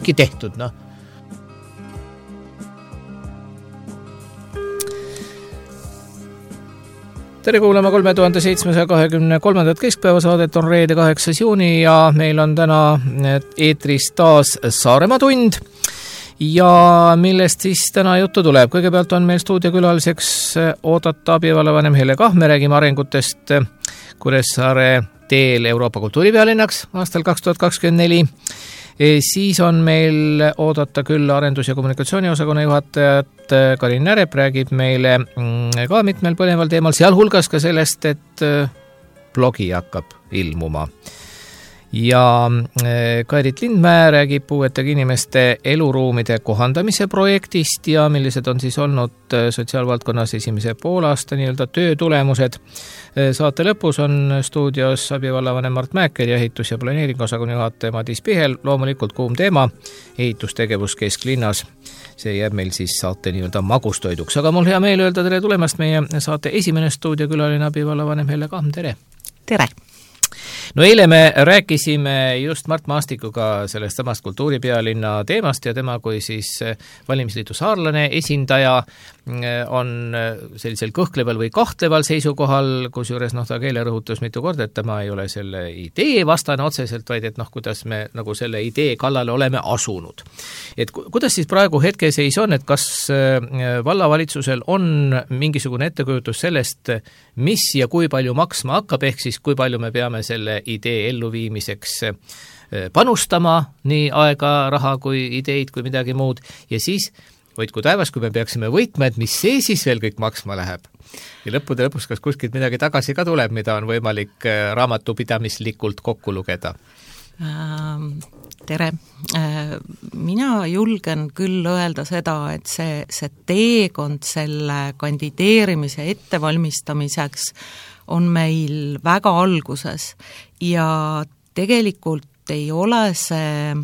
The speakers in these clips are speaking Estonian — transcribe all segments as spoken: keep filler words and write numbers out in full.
ongi tehtud, noh. Tere kuulama kolme tuhande seitsmesaja kahekümne kolmandat keskpäeva saadet, on reede kaheksas juuni ja meil on täna eetris taas Saaremaa tund ja millest siis täna juttu tuleb. Kõigepealt on meil stuudiokülaliseks oodata abivallavanem Helle Kah, me räägime arengutest Kuressaare teel Euroopa kultuuripealinnaks aastal kaks tuhat kakskümmend neli. Siis on meil oodata küll arendus- ja kommunikatsiooniosakonna juhatajat Karin Närep, räägib meile ka mitmel põneval teemal, sealhulgas ka sellest, et blogi hakkab ilmuma. Ja Kairit Lindmäe räägib puuetega inimeste eluruumide kohandamise projektist ja millised on siis olnud sotsiaalvaldkonnas esimese poolaasta nii-öelda töö tulemused. Saate lõpus on stuudios abivallavanem Mart Mäeker ja ehitus- ja planeeringosakonna juhataja Madis Pihel. Loomulikult kuum teema, ehitustegevus kesklinnas. See jääb meil siis saate nii-öelda magustoiduks. Aga mul hea meel öelda tere tulemast meie saate esimene stuudiokülaline abivallavanem Helle Kah. Tere! Tere! No eile me rääkisime just Mart Maastikuga sellest samast kultuuripealinna teemast ja tema kui siis valimisliidu saarlane esindaja on sellisel kõhkleval või kahtleval seisukohal, kus juures noh, ta keele rõhutus mitu korda, et tema ei ole selle idee vastane otseselt, vaid et noh, kuidas me nagu selle idee kallale oleme asunud. Et kuidas siis praegu hetkeseis on, et kas vallavalitsusel on mingisugune ettekujutus sellest, mis ja kui palju maksma hakkab, ehk siis kui palju me peame selle idee elluviimiseks panustama, nii aega, raha kui ideid kui midagi muud, ja siis hoidku taevas, kui me peaksime võitma, et mis see siis veel kõik maksma läheb. Ja lõppude lõpus, kas kuskilt midagi tagasi ka tuleb, mida on võimalik raamatupidamislikult kokku lugeda? Tere! Mina julgen küll öelda seda, et see, see teekond selle kandideerimise ettevalmistamiseks on meil väga alguses ja tegelikult ei ole see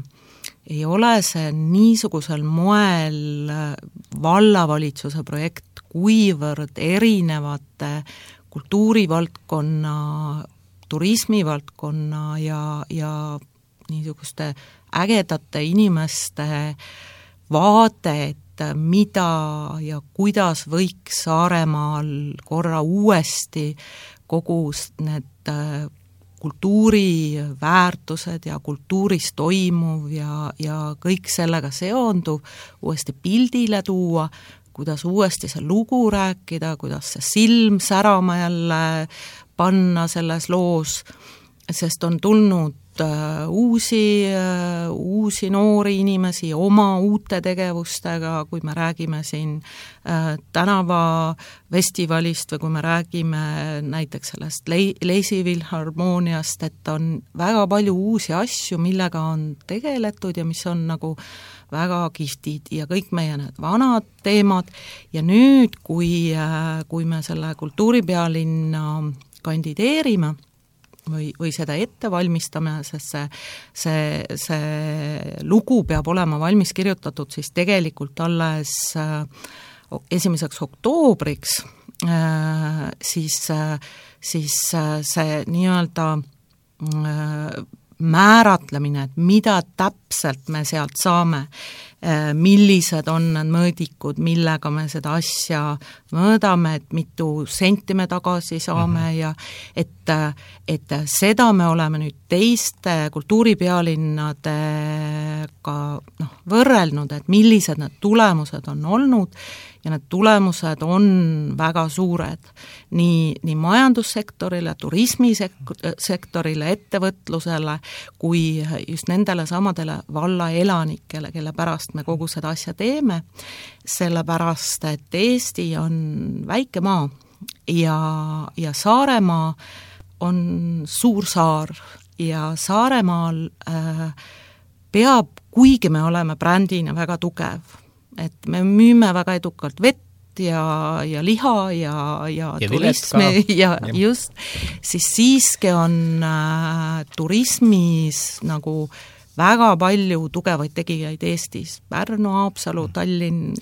ei ole see niisugusel moel vallavalitsuse projekt, kuivõrd erinevate kultuurivaldkonna, turismivaldkonna ja, ja niisuguste ägedate inimeste vaade, et mida ja kuidas võiks Saaremaal korra uuesti kogu need kultuuriväärtused ja kultuuris toimuv ja, ja kõik sellega seonduv uuesti pildile tuua, kuidas uuesti see lugu rääkida, kuidas see silm särama jälle panna selles loos, sest on tulnud uh, uusi, uh, uusi noori inimesi oma uute tegevustega, kui me räägime siin uh, tänavafestivalist või kui me räägime näiteks sellest Le- Leisivil harmooniast, et on väga palju uusi asju, millega on tegeletud ja mis on nagu väga kihvtid ja kõik meie need vanad teemad ja nüüd, kui, uh, kui me selle kultuuripealinna kandideerime, või, või seda ette valmistame, sest see, see, see lugu peab olema valmis kirjutatud siis tegelikult alles esimeseks oktoobriks, siis, siis see nii-öelda määratlemine, et mida täpselt me sealt saame, millised on need mõõdikud, millega me seda asja mõõdame, et mitu senti me tagasi saame mm-hmm. ja et, et seda me oleme nüüd teiste kultuuripealinnadega noh, võrrelnud, et millised need tulemused on olnud ja need tulemused on väga suured nii, nii majandussektorile, turismisektorile, ettevõtlusele kui just nendele samadele valla elanikele, kelle pärast me kogu seda asja teeme, sellepärast, et Eesti on väike maa ja, ja Saaremaa on suur saar ja Saaremaal äh, peab, kuigi me oleme brändina väga tugev, et me müüme väga edukalt vett ja, ja liha ja, ja, ja turismi ja, ja just, siis siiski on äh, turismis nagu väga palju tugevaid tegijaid Eestis, Pärnu, Haapsalu, Tallinn.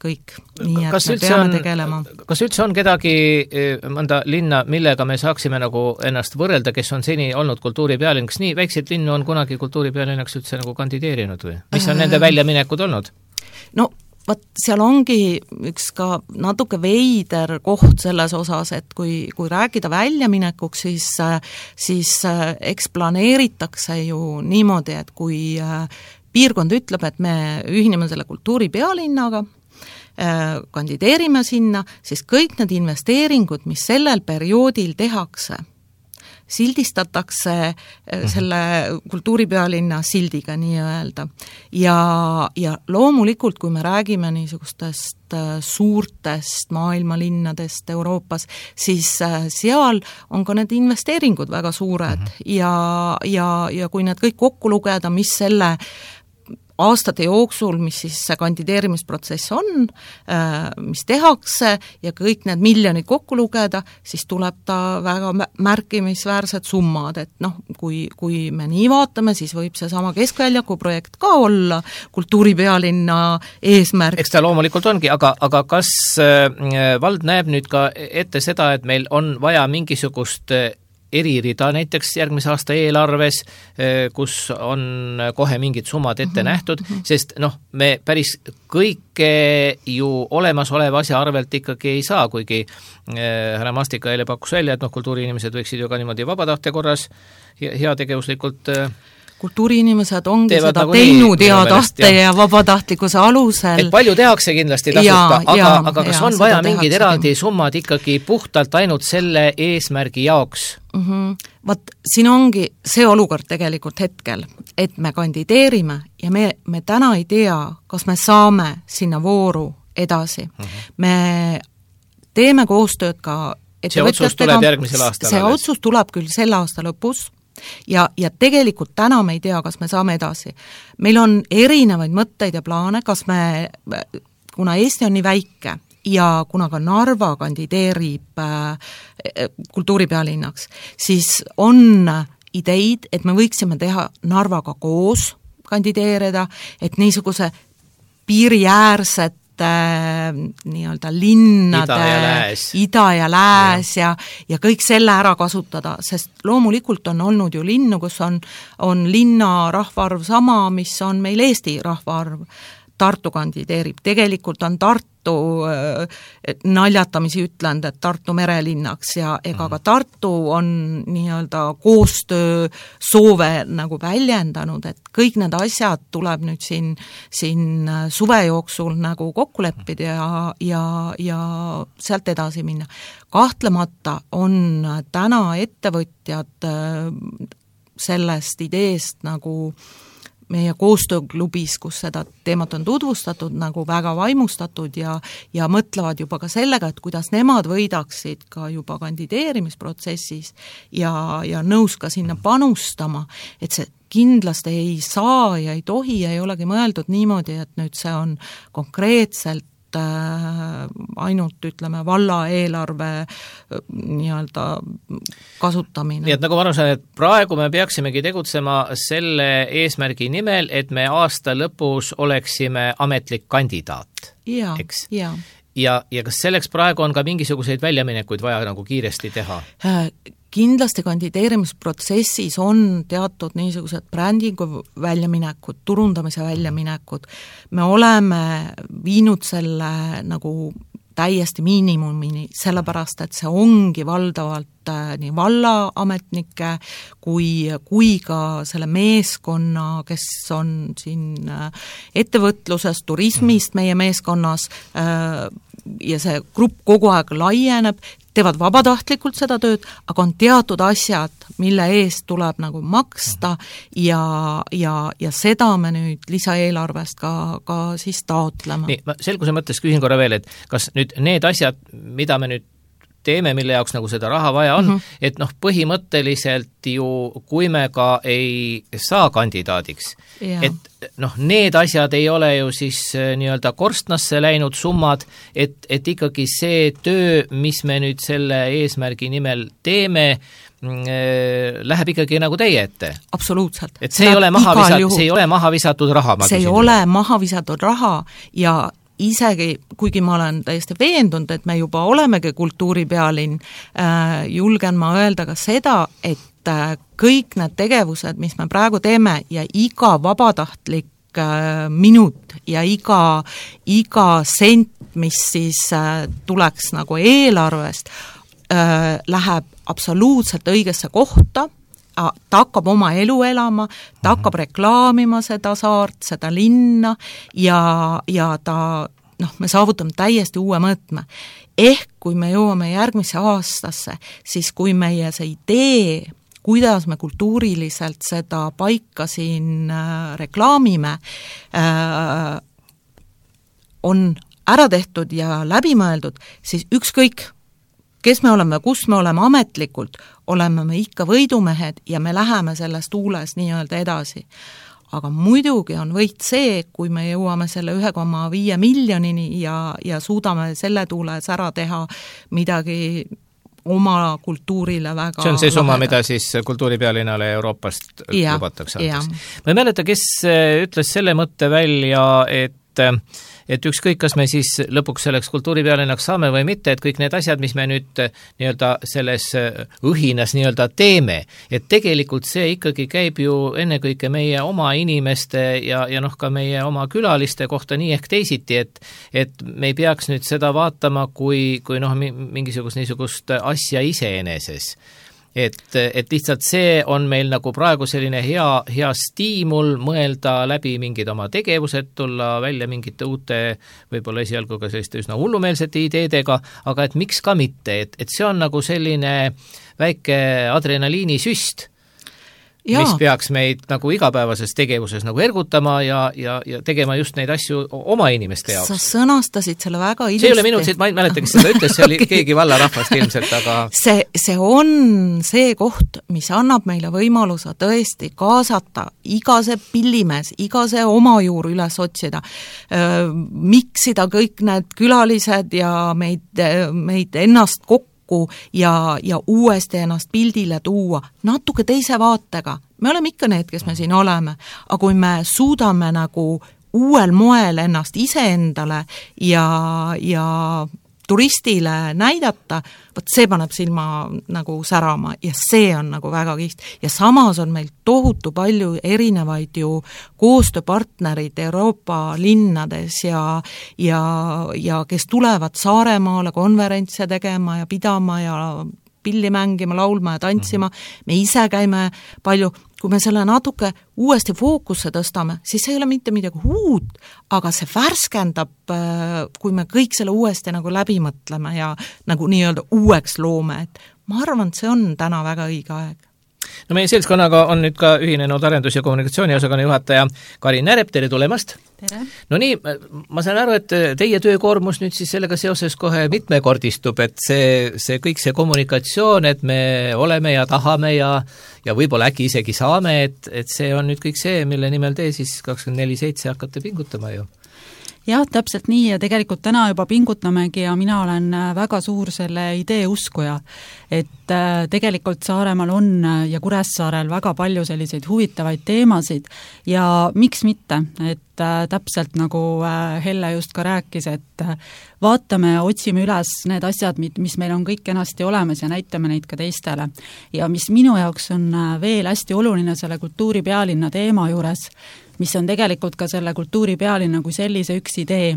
kõik. Nii et kas me peame on, tegelema. Kas üldse on kedagi mõnda linna, millega me saaksime nagu ennast võrrelda, kes on seni olnud kultuuripealinn? Kas nii väikseid linnu on kunagi kultuuripealinnaks üldse nagu kandideerinud või? Mis on nende väljaminekud olnud? No vaat seal ongi üks ka natuke veider koht selles osas, et kui, kui rääkida väljaminekuks, siis, siis eks planeeritakse ju niimoodi, et kui piirkond ütleb, et me ühineme selle kultuuripealinnaga, kandideerime sinna, siis kõik need investeeringud, mis sellel perioodil tehakse, sildistatakse selle kultuuripealinna sildiga nii-öelda. Ja, ja loomulikult, kui me räägime niisugustest suurtest maailmalinnadest Euroopas, siis seal on ka need investeeringud väga suured mm-hmm. ja, ja, ja kui need kõik kokku lugeda, mis selle aastate jooksul, mis siis see kandideerimisprotsess on, mis tehakse ja kõik need miljonid kokku lugeda, siis tuleb ta väga märkimisväärsed summad, et noh, kui, kui me nii vaatame, siis võib see sama Keskväljaku projekt ka olla kultuuripealinna eesmärk. Eks ta loomulikult ongi, aga, aga kas vald näeb nüüd ka ette seda, et meil on vaja mingisugust eririda näiteks järgmise aasta eelarves, kus on kohe mingid summad ette mm-hmm. nähtud, sest noh, me päris kõike ju olemasoleva asja arvelt ikkagi ei saa, kuigi härra Mastika eile pakkus välja, et noh, kultuuriinimesed võiksid ju ka niimoodi vabatahtja korras heategevuslikult kultuuriinimesed ongi seda nagu teinud hea tahte ja. ja vabatahtlikkuse alusel. Et palju tehakse kindlasti tasuta, aga, ja, aga kas ja, on vaja mingid eraldi summad ikkagi puhtalt ainult selle eesmärgi jaoks? Mm-hmm. Vaat siin ongi see olukord tegelikult hetkel, et me kandideerime ja me, me täna ei tea, kas me saame sinna vooru edasi. Mm-hmm. Me teeme koostööd ka see otsus tuleb järgmisel aastal. See otsus tuleb küll selle aasta lõpus, Ja, ja tegelikult täna me ei tea, kas me saame edasi. Meil on erinevaid mõtteid ja plaane, kas me, kuna Eesti on nii väike ja kuna ka Narva kandideerib äh, kultuuripealinnaks, siis on ideid, et me võiksime teha Narvaga koos kandideerida, et niisuguse piiriäärset nii-öelda linnade ida ja lääs, ida ja, lääs ja. Ja, ja kõik selle ära kasutada, sest loomulikult on olnud ju linnu, kus on, on linna rahvaarv sama, mis on meil Eesti rahvaarv. Tartu kandideerib, tegelikult on Tartu äh, naljatamisi ütlenud, et Tartu merelinnaks ja ega ka Tartu on nii-öelda koostöö soove nagu väljendanud, et kõik need asjad tuleb nüüd siin, siin suve jooksul nagu kokku leppida ja, ja, ja sealt edasi minna. Kahtlemata on täna ettevõtjad sellest ideest nagu meie koostööklubis, kus seda teemat on tutvustatud, nagu väga vaimustatud ja, ja mõtlevad juba ka sellega, et kuidas nemad võidaksid ka juba kandideerimisprotsessis ja, ja nõus ka sinna panustama, et see kindlasti ei saa ja ei tohi ja ei olegi mõeldud niimoodi, et nüüd see on konkreetselt ainult, ütleme, valla eelarve nii-öelda kasutamine. Nii et nagu ma arvan, et praegu me peaksimegi tegutsema selle eesmärgi nimel, et me aasta lõpus oleksime ametlik kandidaat. Ja, eks? ja. Ja, ja kas selleks praegu on ka mingisuguseid väljaminekuid vaja nagu kiiresti teha? Kindlasti kandideerimisprotsessis on teatud niisugused brändingu väljaminekud, turundamise väljaminekud. Me oleme viinud selle nagu täiesti miinimumini, sellepärast, et see ongi valdavalt nii vallaametnike kui, kui ka selle meeskonna, kes on siin ettevõtluses, turismist meie meeskonnas ja see grupp kogu aeg laieneb, teevad vabatahtlikult seda tööd, aga on teatud asjad, mille eest tuleb nagu maksta ja, ja, ja seda me nüüd lisaeelarvest ka, ka siis taotlema. Nii, ma selguse mõttes küsin korra veel, et kas nüüd need asjad, mida me nüüd teeme, mille jaoks nagu seda raha vaja on, mm-hmm. et noh, põhimõtteliselt ju, kui me ka ei saa kandidaadiks, ja. Et noh, need asjad ei ole ju siis nii-öelda korstnasse läinud summad, et, et ikkagi see töö, mis me nüüd selle eesmärgi nimel teeme, läheb ikkagi nagu teie ette. Absoluutselt. Et see ei, ole maha visat, see ei ole maha visatud raha. See ei ole maha visatud raha ja isegi, kuigi ma olen täiesti veendunud, et me juba olemegi kultuuripealinn, äh, julgen ma öelda ka seda, et äh, kõik need tegevused, mis me praegu teeme ja iga vabatahtlik äh, minut ja iga, iga sent, mis siis äh, tuleks nagu eelarvest, äh, läheb absoluutselt õigesse kohta, ta hakkab oma elu elama, ta hakkab reklaamima seda saart, seda linna ja, ja ta, noh, me saavutame täiesti uue mõõtme. Ehk kui me jõuame järgmisse aastasse, siis kui meie see idee, kuidas me kultuuriliselt seda paika siin äh, reklaamime, äh, on ära tehtud ja läbimõeldud, siis ükskõik, kes me oleme, kus me oleme ametlikult, oleme me ikka võidumehed ja me läheme sellest tuules nii-öelda edasi. Aga muidugi on võit see, kui me jõuame selle ühe koma viie miljonini ja, ja suudame selle tuules ära teha midagi oma kultuurile väga... See on see summa, mida siis kultuuripealinnale Euroopast ja, lubatakse. Ma ei mäleta, kes ütles selle mõtte välja, et et ükskõik, kas me siis lõpuks selleks kultuuripealinnaks saame või mitte, et kõik need asjad, mis me nüüd nii-öelda selles õhinas nii-öelda teeme, et tegelikult see ikkagi käib ju ennekõike meie oma inimeste ja, ja noh, ka meie oma külaliste kohta nii ehk teisiti, et, et me ei peaks nüüd seda vaatama kui, kui noh, mingisugust niisugust asja iseeneses. Et, et lihtsalt see on meil nagu praegu selline hea, hea stiimul mõelda läbi mingid oma tegevused, tulla välja mingite uute, võib-olla esialgu ka selliste üsna hullumeelsete ideedega, aga et miks ka mitte, et, et see on nagu selline väike adrenaliinisüst, ja. mis peaks meid nagu igapäevases tegevuses nagu ergutama ja, ja, ja tegema just neid asju oma inimeste jaoks. Sa sõnastasid selle väga ilusti. See ei ole minu, ma ei mäleta, kes seda ütles, see oli keegi vallarahvast ilmselt, aga... See, see on see koht, mis annab meile võimaluse tõesti kaasata iga see pillimees, iga see oma juur üles otsida, miksida kõik need külalised ja meid, meid ennast kokku ja, ja uuesti ennast pildile tuua natuke teise vaatega. Me oleme ikka need, kes me siin oleme, aga kui me suudame nagu uuel moel ennast iseendale ja, ja turistile näidata, võt see paneb silma nagu särama ja see on nagu väga kiht. Ja samas on meil tohutu palju erinevaid ju koostööpartnerid Euroopa linnades ja, ja, ja kes tulevad Saaremaale konverentse tegema ja pidama ja pilli mängima, laulma ja tantsima. Me ise käime palju, kui me selle natuke uuesti fookusse tõstame, siis see ei ole mitte midagi uut, aga see värskendab, kui me kõik selle uuesti nagu läbi mõtleme ja nagu nii-öelda uueks loome, et ma arvan, et see on täna väga õige aeg. No meie seltskonnaga on nüüd ka ühinenud arendus- ja kommunikatsiooniosakonna juhataja Karin Närep, tere tulemast! Tere! No nii, ma saan aru, et teie töökoormus nüüd siis sellega seoses kohe mitmekordistub, et see, see kõik see kommunikatsioon, et me oleme ja tahame ja, ja võib-olla äkki isegi saame, et, et see on nüüd kõik see, mille nimel te siis kakskümmend neli seitse hakkate pingutama ju. Jah, täpselt nii ja tegelikult täna juba pingutamegi ja mina olen väga suur selle idee uskuja, et tegelikult Saaremaal on ja Kuressaarel väga palju selliseid huvitavaid teemasid ja miks mitte, et täpselt nagu Helle just ka rääkis, et vaatame, otsime üles need asjad, mis meil on kõik kenasti olemas ja näitame neid ka teistele. Ja mis minu jaoks on veel hästi oluline selle kultuuripealinna teema juures, mis on tegelikult ka selle kultuuripealinna kui sellise üks idee,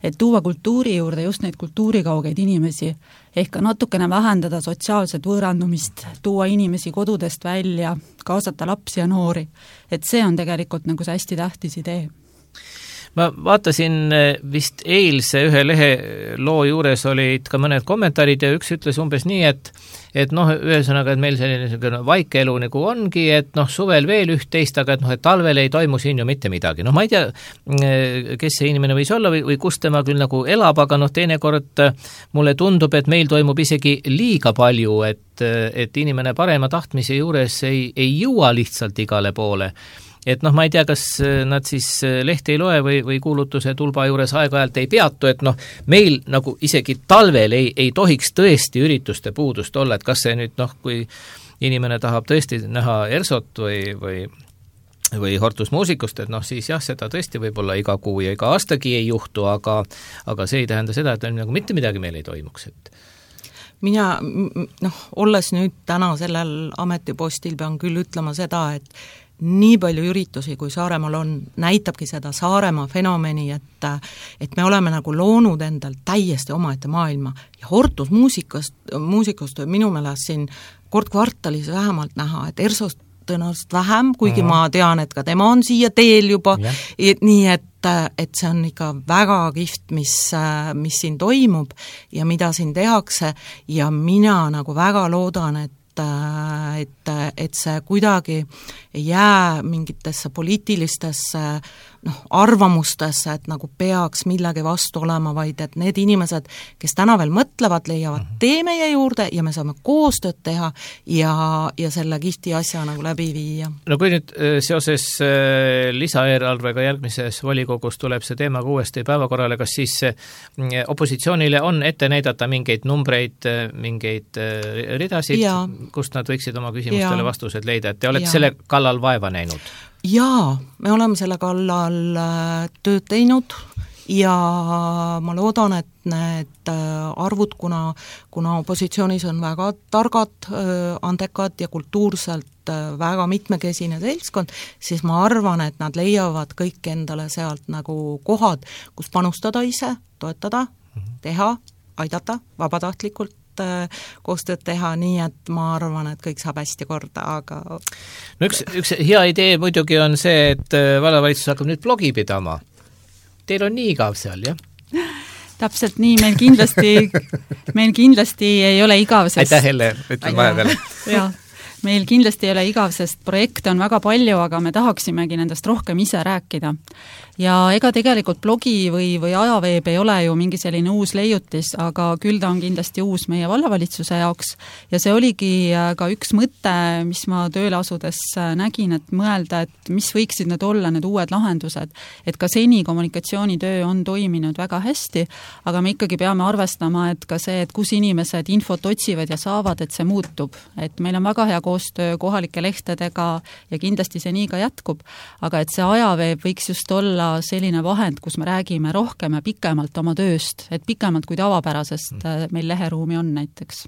et tuua kultuuri juurde just neid kultuurikaugeid inimesi, ehk natukene vähendada sotsiaalset võõrandumist, tuua inimesi kodudest välja, kaasata lapsi ja noori, et see on tegelikult nagu see hästi tähtis idee. Ma vaatasin vist eilse ühe lehe loo juures olid ka mõned kommentaarid ja üks ütles umbes nii, et et noh, ühesõnaga, et meil selline vaikeelu nagu ongi, et noh, suvel veel üht-teist, aga et noh, et talvel ei toimu siin ju mitte midagi. Noh, ma ei tea, kes see inimene võis olla või, või kus tema küll nagu elab, aga noh, teinekord mulle tundub, et meil toimub isegi liiga palju, et, et inimene parema tahtmise juures ei, ei jõua lihtsalt igale poole. Et noh, ma ei tea, kas nad siis lehti ei loe või, või kuulutuse tulba juures aeg-ajalt ei peatu, et noh, meil nagu isegi talvel ei, ei tohiks tõesti ürituste puudust olla, et kas see nüüd noh, kui inimene tahab tõesti näha Ersot või, või või hortusmuusikust, et noh, siis jah, seda tõesti võib-olla iga kuu ja iga aastagi ei juhtu, aga aga see ei tähenda seda, et nagu mitte midagi meil ei toimuks, et mina, noh, olles nüüd täna sellel ametipostil, pean küll ütlema seda, et nii palju üritusi, kui Saaremaal on, näitabki seda Saaremaa fenomeni, et et me oleme nagu loonud endal täiesti omaette maailma ja hortusmuusikast, muusikust võib minu meelest siin kord kvartalis vähemalt näha, et Ersost tõenäoliselt vähem, kuigi mm-hmm. ma tean, et ka tema on siia teel juba, et, nii et, et see on ikka väga kihvt, mis, mis siin toimub ja mida siin tehakse ja mina nagu väga loodan, et et, et see kuidagi ei jää mingitesse poliitilistesse noh, arvamustesse, et nagu peaks millegi vastu olema, vaid et need inimesed, kes täna veel mõtlevad, leiavad tee meie juurde ja me saame koostööd teha ja, ja selle kihti asja nagu läbi viia. No kui nüüd seoses lisaeelarvega järgmises volikogus tuleb see teema uuesti päevakorrale, kas siis opositsioonile on ette näidata mingeid numbreid, mingeid ridasid, ja. Kust nad võiksid oma küsimustele ja. Vastused leida, et te olete ja. Selle kallal vaeva näinud? Jaa, me oleme selle kallal tööd teinud ja ma loodan, et need arvud, kuna, kuna opositsioonis on väga targad, andekad ja kultuurselt väga mitmekesine seltskond, siis ma arvan, et nad leiavad kõik endale sealt nagu kohad, kus panustada ise, toetada, teha, aidata vabatahtlikult, koostööd teha, nii et ma arvan, et kõik saab hästi korda, aga no üks, üks hea idee muidugi on see, et vallavalitsus hakkab nüüd blogi pidama. Teil on nii igav seal, jah? Täpselt nii, meil kindlasti meil kindlasti ei ole igav, sest aitäh, Helle, ütlen vahepeal. Jah, meil kindlasti ei ole igav, sest projekte on väga palju, aga me tahaksimegi nendest rohkem ise rääkida. Ja ega tegelikult blogi või, või ajaveeb ei ole ju mingi selline uus leiutis, aga küll ta on kindlasti uus meie vallavalitsuse jaoks ja see oligi ka üks mõte, mis ma tööle asudes nägin, et mõelda, et mis võiksid need olla, need uued lahendused, et ka seni kommunikatsioonitöö on toiminud väga hästi, aga me ikkagi peame arvestama, et ka see, et kus inimesed infot otsivad ja saavad, et see muutub, et meil on väga hea koostöö kohalike lehtedega ja kindlasti see nii ka jätkub, aga et see ajaveeb võiks just olla selline vahend, kus me räägime rohkem ja pikemalt oma tööst, et pikemalt kui tavapärasest meil leheruumi on näiteks.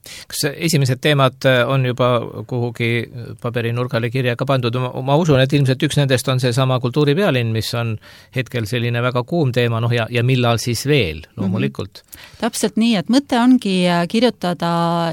Kas esimesed teemad on juba kuhugi paberinurgale kirja ka pandud? Ma usun, et ilmselt üks nendest on see sama kultuuripealinn, mis on hetkel selline väga kuum teema, noh ja, ja millal siis veel, loomulikult. Mm-hmm. Täpselt nii, et mõte ongi kirjutada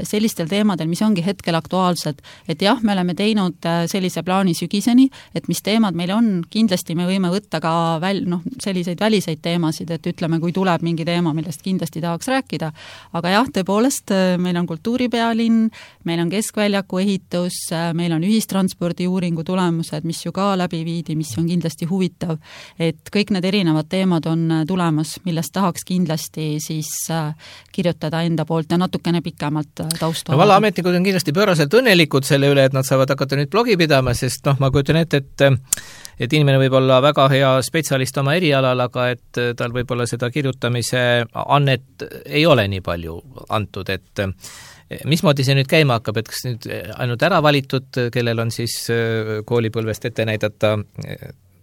sellistel teemadel, mis ongi hetkel aktuaalsed, et jah, me oleme teinud sellise plaani sügiseni, et mis teemad meil on, kindlasti me võime võtta ka väl, noh, selliseid väliseid teemasid, et ütleme, kui tuleb mingi teema, millest kindlasti tahaks rääkida, aga jah, tõepoolest, meil on kultuuripealinn, meil on keskväljaku ehitus, meil on ühistranspordi uuringu tulemused, mis ju ka läbi viidi, mis on kindlasti huvitav, et kõik need erinevad teemad on tulemas, millest tahaks kindlasti siis kirjutada enda poolt ja natukene pikemalt taustu. No vallaametnikud on kindlasti pööraselt õnnelikud selle üle, et nad saavad hakata nüüd blogi pidama, sest noh, ma kujutan ette, et et inimene võib olla väga hea spetsialist oma erialal, aga et tal võib-olla seda kirjutamise annet ei ole nii palju antud, et mismoodi see nüüd käima hakkab, et kas nüüd ainult ära valitud, kellel on siis koolipõlvest ette näidata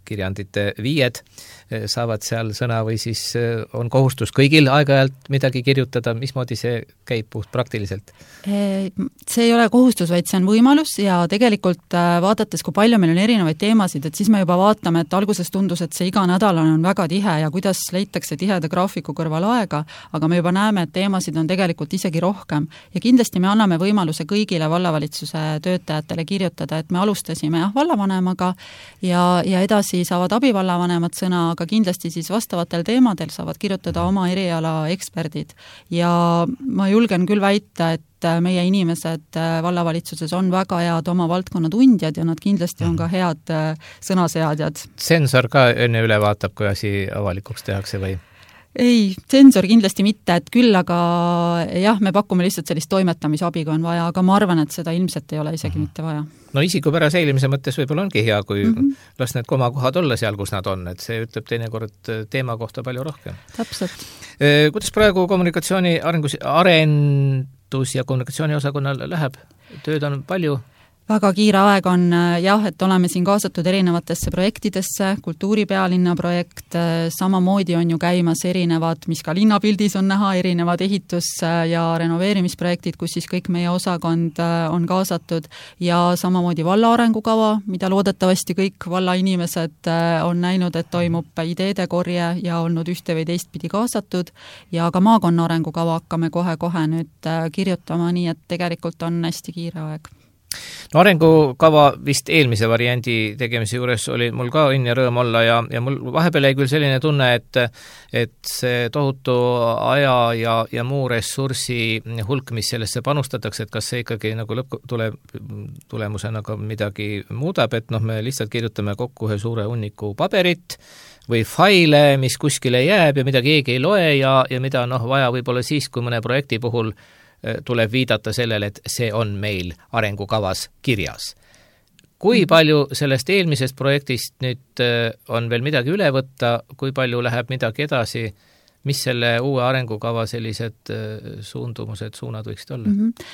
kirjandite viied, saavad seal sõna või siis on kohustus kõigil aeg-ajalt midagi kirjutada, mismoodi see käib puht praktiliselt? See ei ole kohustus, vaid see on võimalus ja tegelikult vaadates, kui palju meil on erinevaid teemasid, et siis me juba vaatame, et alguses tundus, et see iga nädalane on väga tihe ja kuidas leitakse tiheda graafiku kõrval aega, aga me juba näeme, et teemasid on tegelikult isegi rohkem ja kindlasti me anname võimaluse kõigile vallavalitsuse töötajatele kirjutada, et me alustasime jah, vallavanemaga ja, ja edasi saavad abivallavanemad sõna, aga kindlasti siis vastavatel teemadel saavad kirjutada oma eriala eksperdid. Ja ma julgen küll väita, et meie inimesed vallavalitsuses on väga head oma valdkonna tundjad ja nad kindlasti on ka head sõnaseadjad. Sensor ka enne üle vaatab, kui asi avalikuks tehakse või? Ei, sensor kindlasti mitte, et küll, aga jah, me pakume lihtsalt sellist toimetamisabi, kui on vaja, aga ma arvan, et seda ilmselt ei ole isegi mitte vaja. No isikupära säilimise mõttes võib-olla ongi hea, kui mm -hmm. las need komakohad olla seal, kus nad on, et see ütleb teinekord teema kohta palju rohkem. Täpselt. Kuidas praegu kommunikatsiooni arengus, arendus- ja kommunikatsiooniosakonnal läheb? Tööd on palju? väga kiire aeg on jah, et oleme siin kaasatud erinevatesse projektidesse, kultuuripealinna projekt, samamoodi on ju käimas erinevad, mis ka linnapildis on näha, erinevad ehitus- ja renoveerimisprojektid, kus siis kõik meie osakond on kaasatud ja samamoodi valla arengukava, mida loodetavasti kõik valla inimesed on näinud, et toimub ideede korje ja olnud ühte või teistpidi kaasatud ja ka maakonna arengukava hakkame kohe-kohe nüüd kirjutama, nii et tegelikult on hästi kiire aeg. No arengukava vist eelmise variandi tegemise juures oli mul ka õnn ja rõõm olla ja, ja mul vahepeal jäi küll selline tunne, et, et see tohutu aja ja, ja muu ressursi hulk, mis sellesse panustatakse, et kas see ikkagi nagu lõpp tule, tulemusena ka midagi muudab, et noh, me lihtsalt kirjutame kokku ühe suure hunniku paberit või faile, mis kuskile jääb ja mida keegi ei loe ja, ja mida noh, vaja võib-olla siis, kui mõne projekti puhul tuleb viidata sellele, et see on meil arengukavas kirjas. Kui palju sellest eelmisest projektist nüüd on veel midagi üle võtta, kui palju läheb midagi edasi, mis selle uue arengukava sellised suundumused, suunad võiksid olla? Mm-hmm.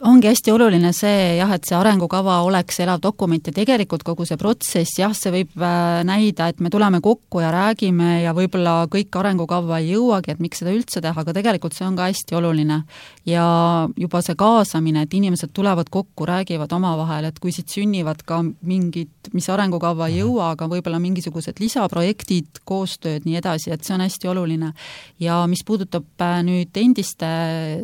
Ongi hästi oluline see, jah, et see arengukava oleks elav dokument ja tegelikult kogu see protsess, jah, see võib näida, et me tuleme kokku ja räägime ja võib-olla kõik arengukava ei jõuagi, et miks seda üldse teha, aga tegelikult see on ka hästi oluline. Ja juba see kaasamine, et inimesed tulevad kokku, räägivad omavahel, et kui siit sünnivad ka mingid, mis arengukava ei jõua, aga võib-olla mingisugused lisaprojektid, koostööd, nii edasi, et see on hästi oluline. Ja mis puudutab nüüd endiste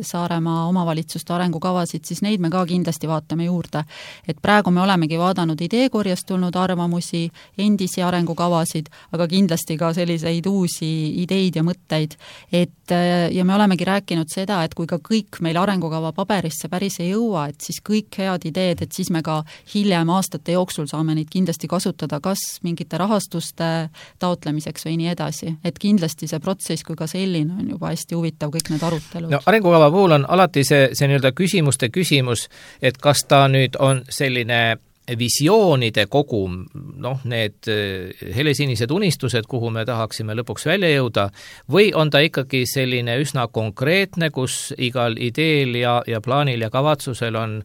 Saaremaa omavalitsuste arengukavasid, siis neid me ka kindlasti vaatame juurde. Et praegu me olemegi vaadanud ideekorjast tulnud arvamusi, endisi arengukavasid, aga kindlasti ka selliseid uusi ideid ja mõtteid. Et, ja me olemegi rääkinud seda, et kui ka kõik meil arengukava paberisse päris ei jõua, et siis kõik head ideed, et siis me ka hiljem aastate jooksul saame neid kindlasti kasutada, kas mingite rahastuste taotlemiseks või nii edasi. Et kindlasti see protsess kui ka selline on juba hästi huvitav, kõik need arutelud. No, arengukava puhul on alati see, see nii-öelda küsimuste küsimus, et kas ta nüüd on selline visioonide kogum, noh, need helesinised unistused, kuhu me tahaksime lõpuks välja jõuda, või on ta ikkagi selline üsna konkreetne, kus igal ideel ja, ja plaanil ja kavatsusel on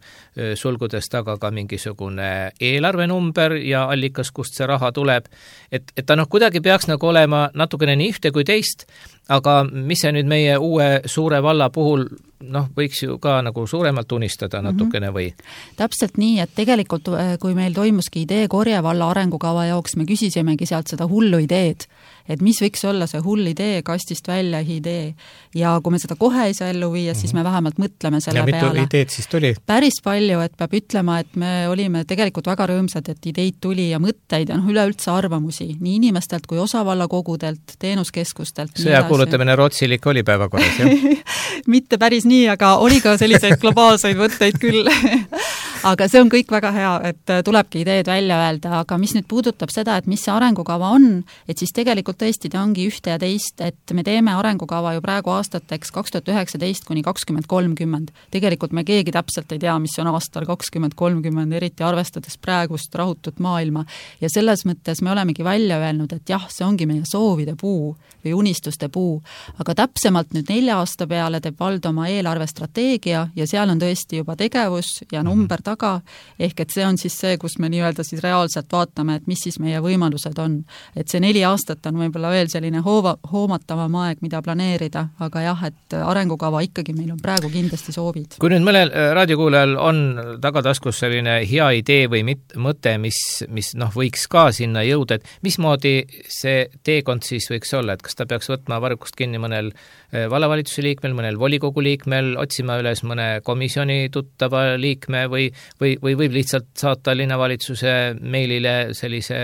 sulgudes taga ka mingisugune eelarvenumber ja allikas, kust see raha tuleb, et, et ta noh, kuidagi peaks nagu olema natukene nii ühte kui teist, aga mis see nüüd meie uue suure valla puhul noh, võiks ju ka nagu suuremalt unistada natukene või? Täpselt nii, et tegelikult kui meil toimuski idee korje valla arengukava jaoks, me küsisimegi sealt seda hullu ideed, et mis võiks olla see hull idee, kastist välja idee. Ja kui me seda kohe ei saa ellu viia, siis me vähemalt mõtleme selle ja peale. Ja mitu ideed siis tuli? Päris palju, et peab ütlema, et me olime tegelikult väga rõõmsad, et ideid tuli ja mõtteid ja noh, üleüldse arvamusi, nii inimestelt kui osavallakogudelt, teenuskeskustelt. Sõjakuulutamine Rootsilik oli päevakorras, jah? Mitte päris nii, aga oli ka selliseid globaalseid mõtteid küll. Aga see on kõik väga hea, et tulebki ideed välja öelda, aga mis nüüd puudutab seda, et mis see arengukava on, et siis tegelikult tõesti ta ongi ühte ja teist, et me teeme arengukava ju praegu aastateks kaks tuhat üheksateist kuni kakskümmend kolmkümmend. Tegelikult me keegi täpselt ei tea, mis on aastal kakskümmend kolmkümmend, eriti arvestades praegust rahutut maailma. Ja selles mõttes me olemegi välja öelnud, et jah, see ongi meie soovide puu või unistuste puu, aga täpsemalt nüüd nelja aasta peale teeb vald oma eelarvestrateegia ja seal on tõesti juba tegevus ja number taga, ehk et see on siis see, kus me nii-öelda siis reaalselt vaatame, et mis siis meie võimalused on. Et see neli aastat on võib-olla veel selline hoova, hoomatavam aeg, mida planeerida, aga jah, et arengukava ikkagi meil on praegu kindlasti soovid. Kui nüüd mõnel raadiokuulajal on tagataskus selline hea idee või mit, mõte, mis, mis noh, võiks ka sinna jõuda, et mismoodi see teekond siis võiks olla, et kas ta peaks võtma varrukust kinni mõnel vallavalitsuse liikmel, mõnel volikogu liikmel, otsima üles mõne komisjoni tuttava liikme või, või, või võib lihtsalt saata linnavalitsuse meilile sellise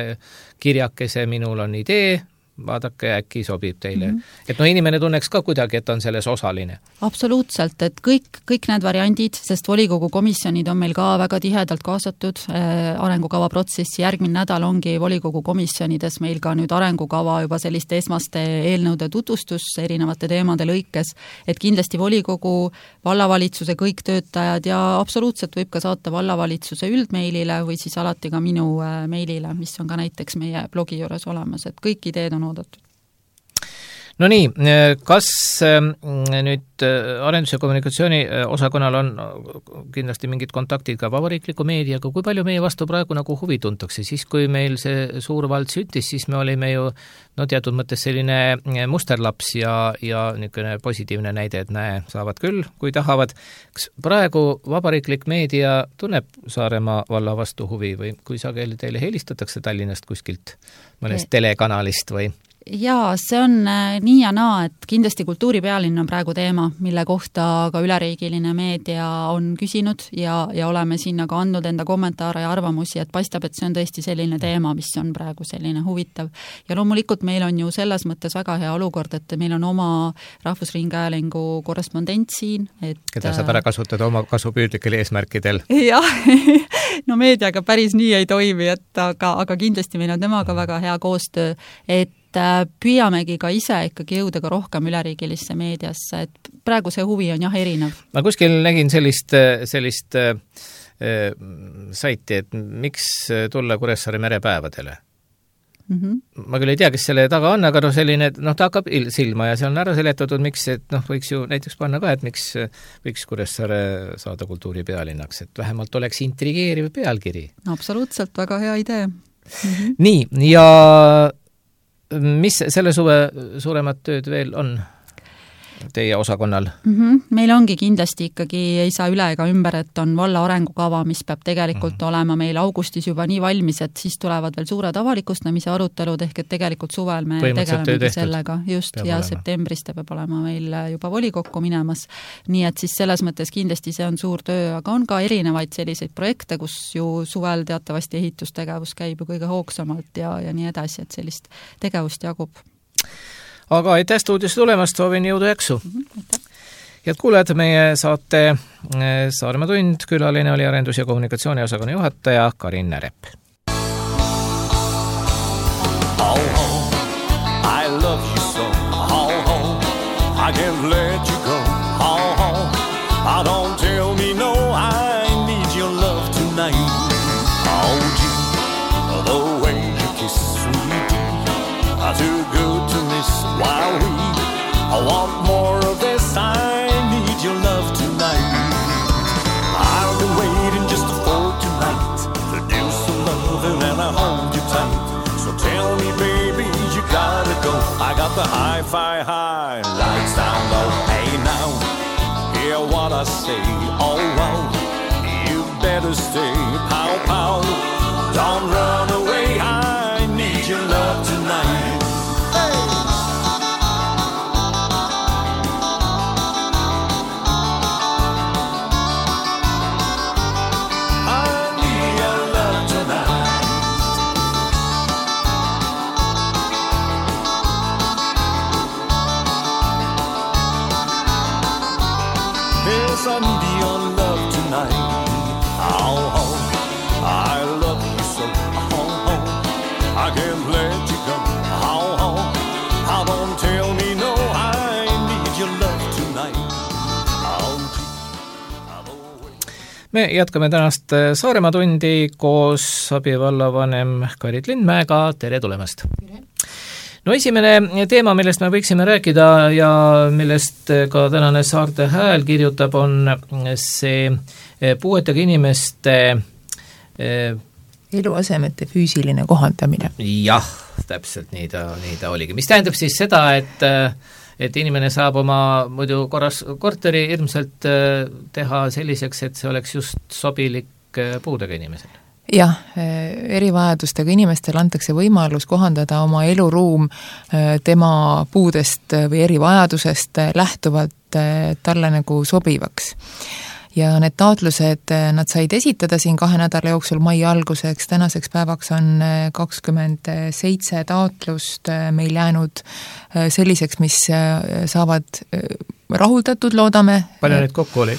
kirjakese, minul on idee, vaadake, äkki sobib teile. Mm-hmm. Et no inimene tunneks ka kuidagi, et on selles osaline. Absoluutselt, et kõik, kõik need variandid, sest volikogu komisjonid on meil ka väga tihedalt kaasatud äh, arengukava protsessi. Järgmine nädal ongi volikogu komisjonides meil ka nüüd arengukava juba selliste esmaste eelnõude tutvustus erinevate teemade lõikes, et kindlasti volikogu, vallavalitsuse kõik töötajad ja absoluutselt võib ka saata vallavalitsuse üldmeilile või siis alati ka minu äh, meilile, mis on ka näiteks meie blogi juures olemas, et kõik ideed on oodatud. No nii, kas nüüd arendus- ja kommunikatsiooni osakonnal on kindlasti mingid kontaktid ka vabariikliku meediaga, kui palju meie vastu praegu nagu huvi tuntakse, siis kui meil see suur vald süttis, siis me olime ju no teatud mõttes selline musterlaps ja, ja niisugune positiivne näide, et näe, saavad küll, kui tahavad. Kas praegu vabariiklik meedia tunneb Saaremaa valla vastu huvi või kui sageli teile helistatakse Tallinnast kuskilt mõnest telekanalist või? Jaa, see on nii ja naa, et kindlasti kultuuripealinn on praegu teema, mille kohta ka üleriigiline meedia on küsinud ja, ja oleme sinna ka andnud enda kommentaare ja arvamusi, et paistab, et see on tõesti selline teema, mis on praegu selline huvitav. Ja loomulikult meil on ju selles mõttes väga hea olukord, et meil on oma Rahvusringhäälingu korrespondent siin. Et, keda saab ära kasutada oma kasupüüdlikel eesmärkidel. Jah, no meediaga päris nii ei toimi, et aga, aga kindlasti meil on temaga väga hea koostöö, et püüamegi ka ise ikkagi jõuda ka rohkem üleriigilisse meediasse, et praegu see huvi on jah erinev. Ma kuskil nägin sellist, sellist äh, saiti, et miks tulla Kuressaare merepäevadele. Mm-hmm. Ma küll ei tea, kes selle taga on, aga no selline, noh, ta hakkab silma ja see on ära seletatud, miks, et noh, võiks ju näiteks panna ka, et miks võiks Kuressaare saada kultuuripealinnaks, et vähemalt oleks intrigeeriv pealkiri. No, absoluutselt, väga hea idee. Mm-hmm. Nii, ja mis selle suve suuremad tööd veel on teie osakonnal? Mm-hmm. Meil ongi kindlasti ikkagi, ei saa üle ega ümber, et on valla arengukava, mis peab tegelikult mm-hmm. olema meil augustis juba nii valmis, et siis tulevad veel suured avalikustamise arutelud, ehk et tegelikult suvel me tegelemegi sellega just peab ja olema. Septembris ta peab olema meil juba volikokku minemas. Nii et siis selles mõttes kindlasti see on suur töö, aga on ka erinevaid selliseid projekte, kus ju suvel teatavasti ehitustegevus käib ju kõige hoogsamalt ja, ja nii edasi, et sellist tegevust jagub. Aga aitäh stuudiosse tulemast, soovin jõudu jaksu. Mm-hmm, head kuulajad, meie saate Saaremaa tund, külaline oli arendus- ja kommunikatsiooni osakonna juhataja Karin Närep. Oh, oh, I love you so, oh, oh, I can't let you go, oh, oh, I don't tell me no, I need your love tonight, oh, gee, the way you kiss sweet, I too good to while we I want more of this, I need your love tonight. I've been waiting just for tonight to do some loving and I hold you tight. So tell me, baby, you gotta go. I got the hi-fi high, lights down low. Hey now, hear what I say. Oh wow, you better stay. Pow pow, don't run away. I need your love tonight. I need your love tonight. Oh, oh, I love you so. Oh, oh, I can't let you go. Oh, oh, I don't tell me no. I need your love tonight. Oh, me jätkame tänast Saaremaa tundi koos abivallavanem Karit Lindmäega. Tere tulemast! Tere! No esimene teema, millest me võiksime rääkida ja millest ka tänane Saarte Hääl kirjutab, on see puuetega inimeste eluasemete füüsiline kohandamine. Jah, täpselt nii ta, nii ta oligi. Mis tähendab siis seda, et, et inimene saab oma muidu korras korteri ilmselt teha selliseks, et see oleks just sobilik puudega inimesele? Jah, erivajadustega inimestel antakse võimalus kohandada oma eluruum tema puudest või erivajadusest lähtuvalt talle nagu sobivaks. Ja need taotlused, nad said esitada siin kahe nädala jooksul mai alguseks, tänaseks päevaks on kakskümmend seitse taotlust meil jäänud selliseks, mis saavad rahuldatud, loodame. Palju neid kokku oli?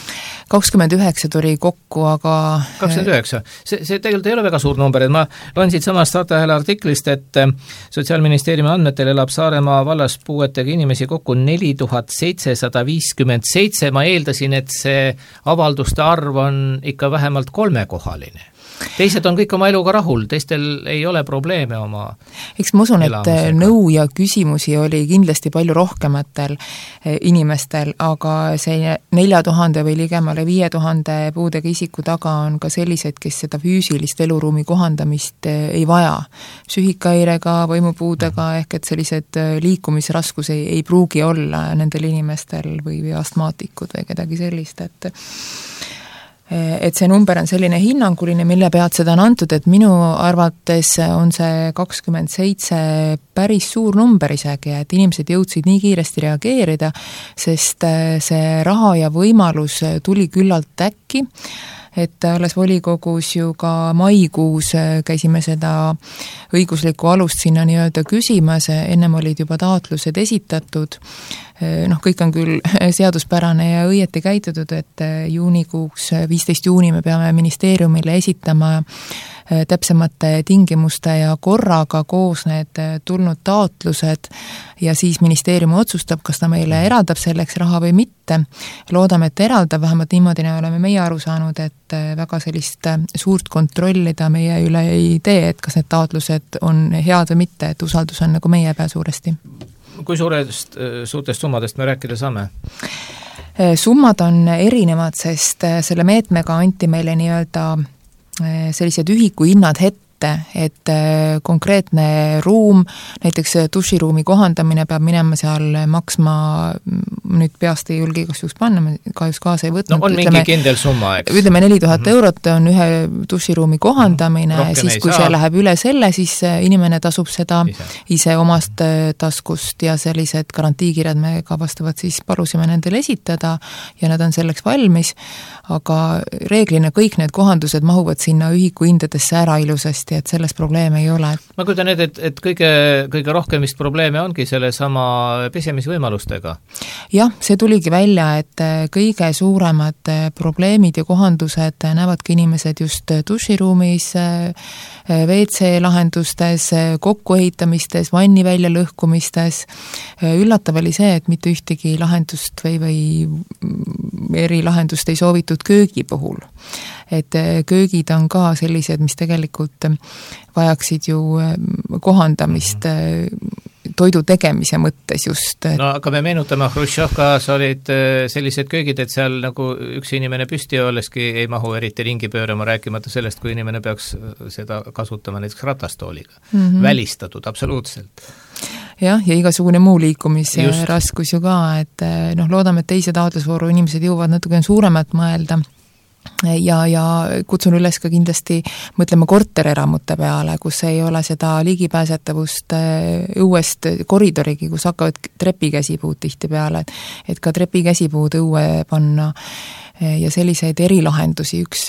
kakskümmend üheksa tuli kokku, aga kakskümmend üheksa. See, see tegelikult ei ole väga suur number, et ma loen siit samast Saarte Hääle artiklist, et Sotsiaalministeeriumi andmetel elab Saaremaa vallas puuetega inimesi kokku neli tuhat seitsesada viiskümmend seitse. Ma eeldasin, et see avalduste arv on ikka vähemalt kolmekohaline. teised on kõik oma eluga rahul, teistel ei ole probleeme oma eks ma usun, et elamisega. nõu ja küsimusi oli kindlasti palju rohkematel inimestel, aga see nelja tuhande või ligemale viie tuhande puudega isiku taga on ka sellised, kes seda füüsilist eluruumi kohandamist ei vaja. Psüühikahäirega, võimupuudega, ehk et sellised liikumisraskus ei, ei pruugi olla nendel inimestel või, või astmaatikud või kedagi sellist, et et see number on selline hinnanguline, mille pealt seda on antud, et minu arvates on see kakskümmend seitse päris suur number isegi, et inimesed jõudsid nii kiiresti reageerida, sest see raha ja võimalus tuli küllalt äkki, et alles volikogus ju ka maikuus käisime seda õiguslikku alust sinna nii-öelda küsimas, ennem olid juba taotlused esitatud, noh, kõik on küll seaduspärane ja õieti käitutud, et juunikuuks, viisteist juuni me peame ministeeriumile esitama täpsemate tingimuste ja korraga koos need tulnud taotlused ja siis ministeerium otsustab, kas ta meile eraldab selleks raha või mitte. Loodame, et eraldab, vähemalt niimoodi oleme meie aru saanud, et väga sellist suurt kontrolli ta meie üle ei tee, et kas need taotlused on head või mitte, et usaldus on nagu meie pea suuresti. Kui suurest, suurtest summadest me rääkida saame? Summad on erinevad, sest selle meetmega anti meile nii-öelda sellised ühikuhinnad ette, et konkreetne ruum, näiteks duširuumi kohandamine peab minema seal maksma, nüüd peast ei julge igast juhus panna, me kahjuks kaasa ei võtnud. No on ütleme, mingi kindel summa, eks? Ütleme neli tuhat mm-hmm. eurot on ühe duširuumi kohandamine, mm-hmm. siis kui saa. See läheb üle selle, siis inimene tasub seda ise, ise omast taskust ja sellised garantiikirjad me ka vastavalt siis palusime nendele esitada ja nad on selleks valmis, aga reeglina kõik need kohandused mahuvad sinna ühikuhindadesse ära ilusasti, et selles probleeme ei ole. Ma kujutan need, et, et kõige, kõige rohkem vist probleeme ongi selle sama pesemisvõimalustega. Jah, see tuligi välja, et kõige suuremad probleemid ja kohandused näevadki inimesed just duširuumis, V C lahendustes, kokkuehitamistes, vanni välja lõhkumistes. Üllatav oli see, et mitte ühtegi lahendust või, või erilahendust ei soovitud köögi puhul. Et köögid on ka sellised, mis tegelikult vajaksid ju kohandamist toidu tegemise mõttes just. No aga me meenutame, Hruštšovkas olid sellised köögid, et seal nagu üks inimene püsti olleski ei mahu eriti ringi pöörama, rääkimata sellest, kui inimene peaks seda kasutama näiteks ratastooliga. Mm-hmm. Välistatud, absoluutselt. Jah, ja igasugune muu liikumisraskus ju ka, et noh, loodame, et teise taotlusvooru inimesed jõuavad natuke suuremat mõelda. Ja, ja kutsun üles ka kindlasti mõtlema kortereramute peale, kus ei ole seda ligipääsetavust õuest koridorigi, kus hakkavad trepikäsipuud tihti peale, et ka trepikäsipuud õue panna ja selliseid erilahendusi. Üks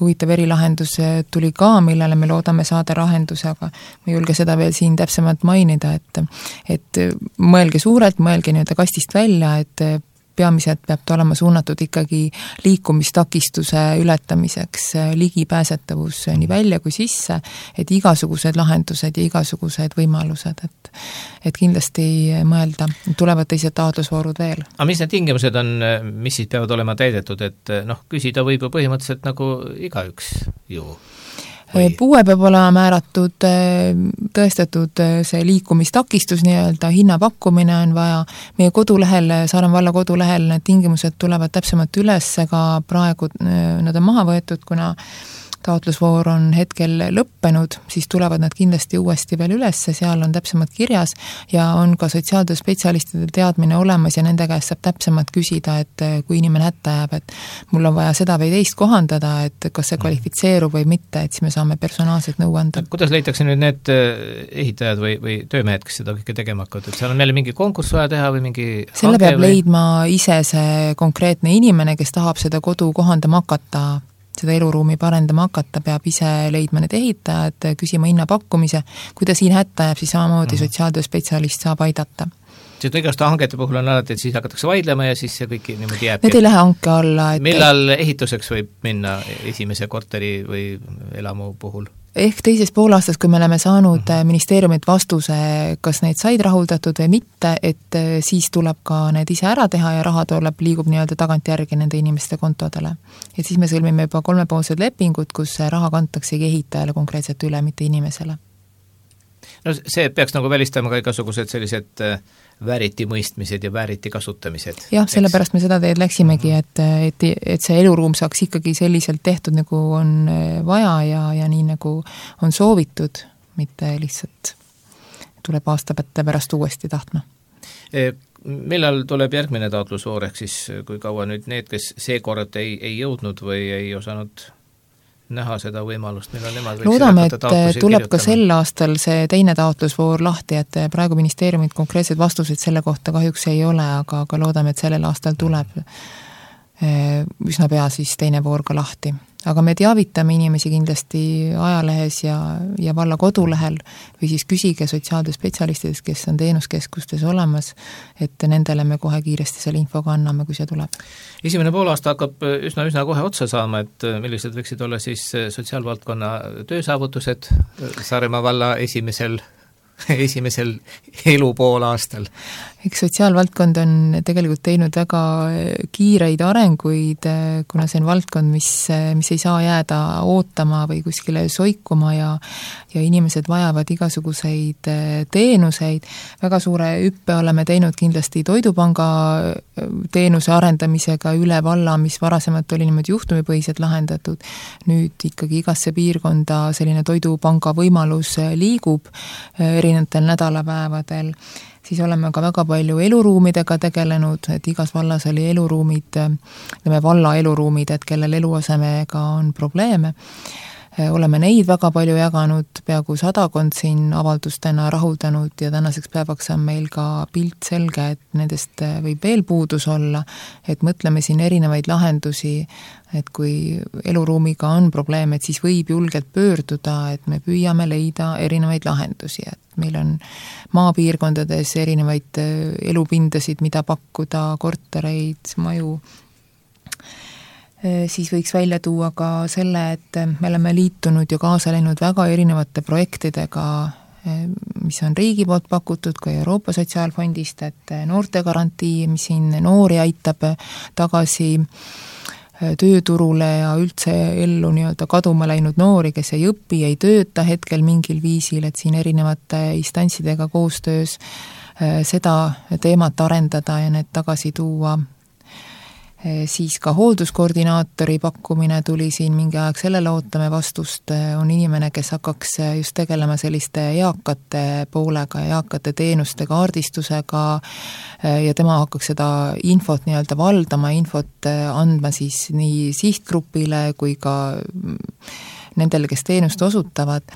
huvitav erilahendus tuli ka, millele me loodame saada lahenduse, aga ma ei julge seda veel siin täpsemalt mainida, et, et mõelge suurelt, mõelge nii-öelda kastist välja, et peamiselt peab ta olema suunatud ikkagi liikumistakistuse ületamiseks, ligipääsetavus nii välja kui sisse, et igasugused lahendused ja igasugused võimalused, et, et kindlasti mõelda, tulevad teised taotlusvoorud veel. Aga mis need tingimused on, mis siis peavad olema täidetud, et noh, küsida võib ju põhimõtteliselt nagu igaüks ju? Või? Puue peab olema määratud, tõestatud see liikumistakistus, nii-öelda hinnapakkumine on vaja. Meie kodulehel, Saaremaa valla kodulehel need tingimused tulevad täpsemalt üles, ka praegu nad on maha võetud, kuna taotlusvoor on hetkel lõppenud, siis tulevad nad kindlasti uuesti veel üles, seal on täpsemalt kirjas ja on ka sotsiaaltöö spetsialistide teadmine olemas ja nende käest saab täpsemalt küsida, et kui inimene hätta jääb, et mul on vaja seda või teist kohandada, et kas see kvalifitseerub või mitte, et siis me saame personaalselt nõu anda. Kuidas leitakse nüüd need ehitajad või, või töömehed, kes seda kõike tegema hakkavad, et seal on jälle mingi konkurss vaja teha või mingi selle peab või? Leidma ise see konkreetne inimene, kes tahab seda kodu kohandama hakata, seda eluruumi parendama hakata, peab ise leidma need ehitajad, küsima hinnapakkumise. Kui ta siin hätta jääb, siis samamoodi mm-hmm. sotsiaaltöö spetsialist saab aidata. Sest igaste hangete puhul on alati, et siis hakatakse vaidlema ja siis see kõik niimoodi jääb. Need ei lähe hanke alla. Et millal ehituseks võib minna esimese korteri või elamu puhul? ehk teises poolaastas, kui me oleme saanud mm-hmm. ministeeriumilt vastuse, kas neid said rahuldatud või mitte, et siis tuleb ka need ise ära teha ja raha tuleb, liigub nii-öelda tagantjärgi nende inimeste kontodele. Et siis me sõlmime juba kolmepoolsed lepingud, kus raha kantaksegi ehitajale konkreetselt üle, mitte inimesele. No see peaks nagu välistama ka igasugused sellised vääriti mõistmised ja vääriti kasutamised. Jah, sellepärast me seda teed läksimegi, et, et, et see eluruum saaks ikkagi selliselt tehtud, nagu on vaja ja, ja nii nagu on soovitud, mitte lihtsalt tuleb aastapette pärast uuesti tahtma. Millal tuleb järgmine taotlusvoor, ehk siis kui kaua nüüd need, kes seekord ei, ei jõudnud või ei osanud näha seda võimalust, millal nemad võiksid loodame, et tuleb ka sel aastal see teine taotlusvoor lahti, et praegu ministeeriumid konkreetseid vastuseid selle kohta kahjuks ei ole, aga, aga loodame, et sellel aastal tuleb üsna pea siis teine voor ka lahti. Aga me teavitame inimesi kindlasti ajalehes ja, ja valla kodulehel või siis küsige sotsiaaltöö spetsialistidest, kes on teenuskeskustes olemas, et nendele me kohe kiiresti selle infoga anname, kui see tuleb. Esimene poolaasta hakkab üsna, üsna kohe otsa saama, et millised võiksid olla siis sotsiaalvaldkonna töösaavutused Saaremaa valla esimesel esimesel elu pool aastal? Eks sotsiaalvaldkond on tegelikult teinud väga kiireid arenguid, kuna see on valdkond, mis, mis ei saa jääda ootama või kuskile soikuma ja, ja inimesed vajavad igasuguseid teenuseid. Väga suure hüppe oleme teinud kindlasti Toidupanga teenuse arendamisega üle valla, mis varasemalt oli niimoodi juhtumipõhiselt lahendatud. Nüüd ikkagi igasse piirkonda selline Toidupanga võimalus liigub erinevatel nädalapäevadel. Siis oleme ka väga palju eluruumidega tegelenud, et igas vallas oli eluruumid, ütleme valla eluruumid, et kellel eluasemega on probleeme. Oleme neid väga palju jaganud, peaaegu sadakond siin avaldustena rahuldanud ja tänaseks päevaks on meil ka pilt selge, et nendest võib veel puudus olla, et mõtleme siin erinevaid lahendusi, et kui eluruumiga on probleem, et siis võib julgelt pöörduda, et me püüame leida erinevaid lahendusi, et meil on maapiirkondades erinevaid elupindasid, mida pakkuda, kortereid, maju. Siis võiks välja tuua ka selle, et me oleme liitunud ja kaasa läinud väga erinevate projektidega, mis on riigi poolt pakutud ka Euroopa Sotsiaalfondist, et noortegarantii, mis siin noori aitab tagasi tööturule ja üldse ellu nii-öelda kaduma läinud noori, kes ei õpi, ei tööta hetkel mingil viisil, et siin erinevate instantsidega koostöös seda teemat arendada ja need tagasi tuua. Siis ka hoolduskoordinaatori pakkumine tuli siin mingi aeg, sellele ootame vastust, on inimene, kes hakkaks just tegelema selliste eakate poolega, eakate teenuste kaardistusega ja tema hakkaks seda infot nii-öelda valdama, infot andma siis nii sihtgrupile kui ka nendele, kes teenust osutavad.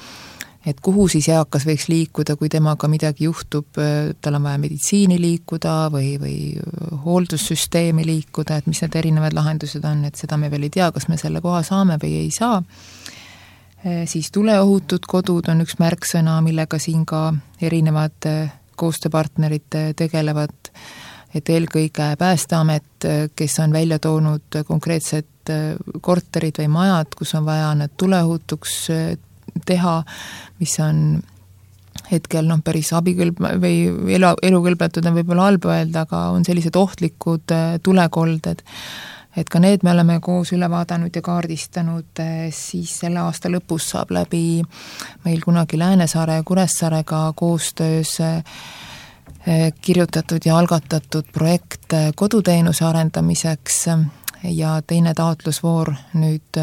Et kuhu siis eakas võiks liikuda, kui temaga midagi juhtub, tal on vaja meditsiini liikuda või, või hooldussüsteemi liikuda, et mis need erinevad lahendused on, et seda me veel ei tea, kas me selle koha saame või ei saa. Siis tuleohutud kodud on üks märksõna, millega siin ka erinevad koostööpartnerid tegelevad, et eelkõige Päästeamet, kes on välja toonud konkreetsed korterid või majad, kus on vaja need tuleohutuks teha, mis on hetkel noh, päris abikõlb või elu, elukõlbetud on võib-olla halb öelda, aga on sellised ohtlikud tulekolded, et ka need me oleme koos üle vaadanud ja kaardistanud, siis selle aasta lõpus saab läbi meil kunagi Läänesaare ja Kuressaarega koostöös kirjutatud ja algatatud projekt koduteenuse arendamiseks ja teine taotlusvoor nüüd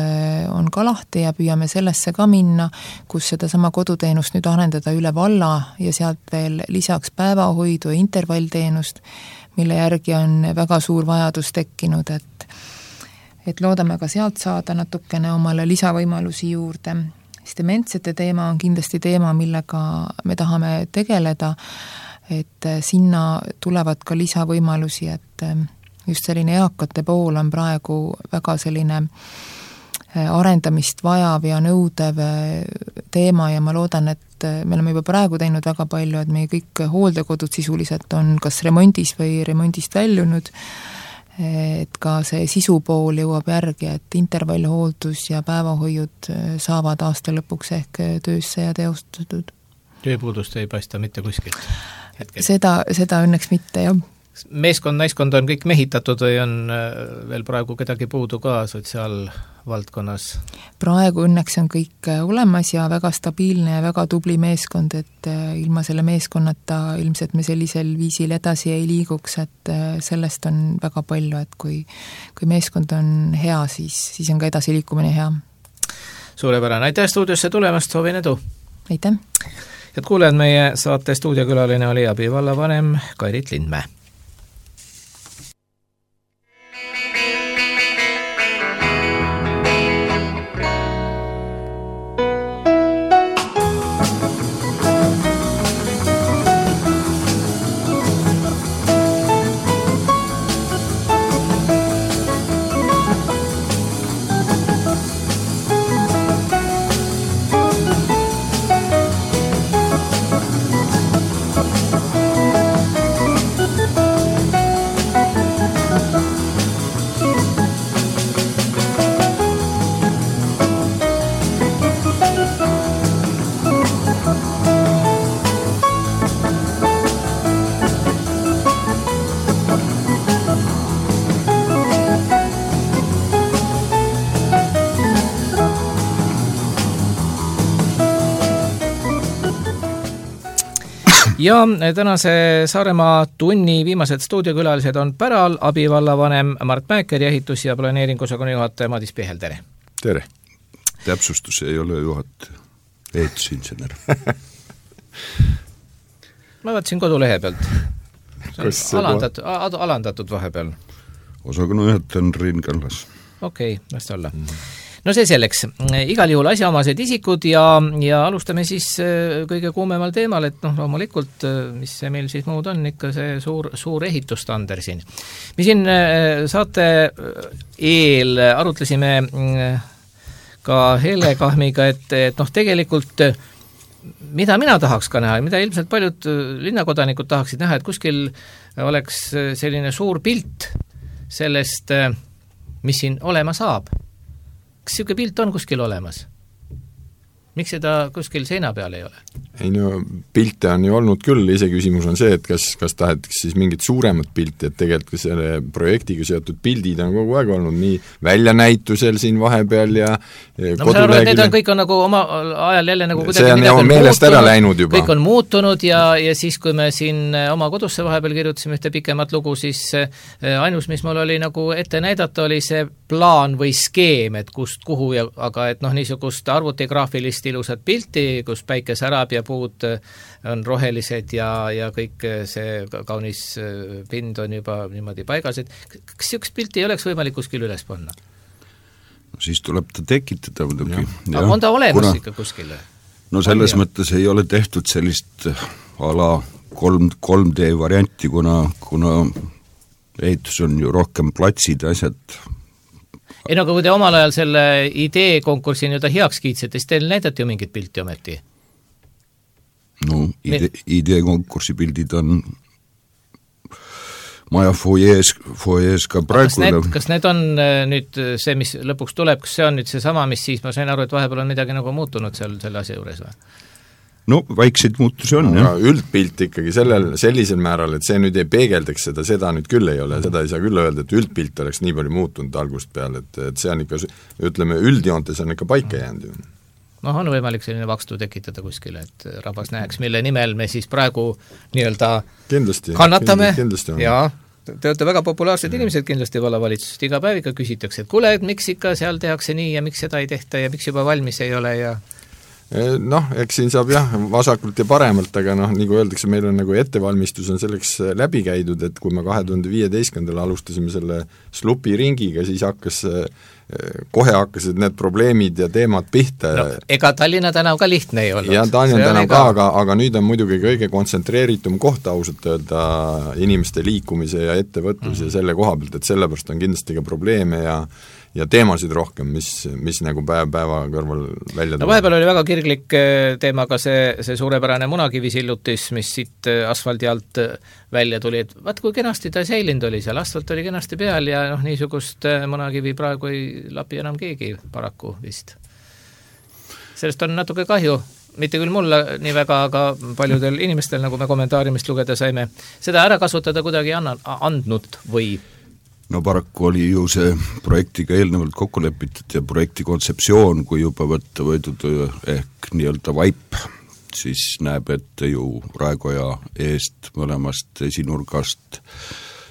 on ka lahti ja püüame sellesse ka minna, kus seda sama koduteenust nüüd arendada üle valla ja sealt veel lisaks päevahoidu ja intervallteenust, mille järgi on väga suur vajadus tekkinud, et, et loodame ka sealt saada natukene omale lisavõimalusi juurde. Siis dementsete teema on kindlasti teema, millega me tahame tegeleda, et sinna tulevad ka lisavõimalusi, et just selline eakate pool on praegu väga selline arendamist vajav ja nõudev teema ja ma loodan, et me oleme juba praegu teinud väga palju, et meie kõik hooldekodud sisuliselt on kas remondis või remondist väljunud, et ka see sisupool jõuab järgi, et intervallhooldus ja päevahoiud saavad aasta lõpuks ehk töösse ja teostatud. Tööpuudust ei paista mitte kuskilt hetkel? Seda, seda õnneks mitte, jah. Meeskond, naiskond on kõik mehitatud või on veel praegu kedagi puudu ka sotsiaalvaldkonnas? Praegu õnneks on kõik olemas ja väga stabiilne ja väga tubli meeskond, et ilma selle meeskonnata ilmselt me sellisel viisil edasi ei liiguks, et sellest on väga palju, et kui, kui meeskond on hea, siis, siis on ka edasi liikumine hea. Suurepärane, aitäh stuudiosse tulemast, soovin edu! Aitäh! Head kuulejad, meie saate stuudiokülaline oli abivallavanem Kairit Lindmäe. Ja tänase Saaremaa tunni viimased stuudiokülalised on päral abivallavanem Mart Mäeker ja ehitus- ja planeeringusakonna juhataja Madis Pihel, tere! Tere! Täpsustus ei ole juhataja, ehitusinsener. Ma vaatasin kodulehe pealt. See on alandatud, a, alandatud vahepeal. Osakonna juhataja on Riin Kallas. Okei, okay, vast olla. Mm. No see selleks, igal juhul asjaomased isikud ja, ja alustame siis kõige kuumemal teemal, et noh, loomulikult, mis see meil siis muud on, ikka see suur, suur ehitustander siin. Me siin saate eel arutlesime ka Hele Kahmiga, et, et noh, tegelikult mida mina tahaks ka näha, mida ilmselt paljud linnakodanikud tahaksid näha, et kuskil oleks selline suur pilt sellest, mis siin olema saab. Kas siuke pilt on kuskil olemas? Miks seda kuskil seina peal ei ole? Ei no, pilte on ju olnud küll, ise küsimus on see, et kas, kas tahetakse siis mingit suuremat pilti, et tegelikult selle projektiga seotud pildid on kogu aeg olnud nii väljanäitusel siin vahepeal ja no ma saan aru, et need on kõik on nagu oma ajal jälle nagu see on ju meelest ära läinud juba. Kõik on muutunud ja, ja siis, kui me siin oma kodusse vahepeal kirjutasime ühte pikemat lugu, siis ainus, mis mul oli nagu ette näidata, oli see plaan või skeem, et kust, kuhu ja, aga et noh, niisugust arvutigraafilist ilusat pilti, kus päike särab ja puud on rohelised ja, ja kõik see kaunis pind on juba niimoodi paigas, et kas siukest pilti ei oleks võimalik kuskil üles panna? No siis tuleb ta tekitada muidugi. Aga on ta olemas kuna, ikka kuskile? No selles on, mõttes ei ole tehtud sellist ala kolm, kolm D varianti, kuna, kuna ehitus on ju rohkem platsid asjad. Ei no, aga kui te omal ajal selle idee konkursi nii-öelda heaks kiitsite, siis teil näidati ju mingit pilti ometi? No idee, idee konkursi pildid on maja foyees, foyees ka praegu. Kas need, kas need on nüüd see, mis lõpuks tuleb, kas see on nüüd see sama, mis siis, ma sain aru, et vahepeal on midagi nagu muutunud seal selle asja juures või? No väikseid muutusi on, jah. Üldpilt ikkagi sellel, sellisel määral, et see nüüd ei peegeldaks seda, seda nüüd küll ei ole, seda ei saa küll öelda, et üldpilt oleks nii palju muutunud algust peale, et, et see on ikka, ütleme, üldjoontes on ikka paika jäänud ju. noh, on võimalik selline vakstu tekitada kuskile, et rahvas näeks, mille nimel me siis praegu nii-öelda kindlasti, kannatame kindlasti on. Ja te olete väga populaarsed inimesed kindlasti vallavalitsusest, iga päev ikka küsitakse, et kuule, et miks ikka seal tehakse nii ja miks seda ei tehta ja miks juba valmis ei ole ja noh, eks siin saab jah, vasakult ja paremalt, aga noh, nagu öeldakse, meil on nagu ettevalmistus on selleks läbi käidud, et kui me kahe tuhande viieteistkümnendal alustasime selle slupi ringiga, siis hakkas kohe hakkasid need probleemid ja teemad pihta no, ega Tallinna tänav ka lihtne ei olnud. ja Tallinna tänav ka, aga, aga nüüd on muidugi kõige kontsentreeritum koht ausalt öelda inimeste liikumise ja ettevõtluse mm. ja selle koha pealt, et sellepärast on kindlasti ka probleeme ja ja teemasid rohkem, mis, mis nagu päev päeva kõrval välja tuleb. No vahepeal oli väga kirglik teema ka see, see suurepärane munakivisillutis, mis siit asfaldi alt välja tuli, et vaat kui kenasti ta säilinud oli seal, asfalt oli kenasti peal ja noh, niisugust munakivi praegu ei lapi enam keegi paraku vist. Sellest on natuke kahju, mitte küll mulle nii väga, aga paljudel inimestel, nagu me kommentaarimist lugeda saime, seda ära kasutada kuidagi anna, andnud või no paraku oli ju see projektiga eelnevalt kokku lepitud ja projekti kontseptsioon, kui juba võtta võidud ehk nii-öelda vaip, siis näeb ette ju Raekoja eest mõlemast esinurgast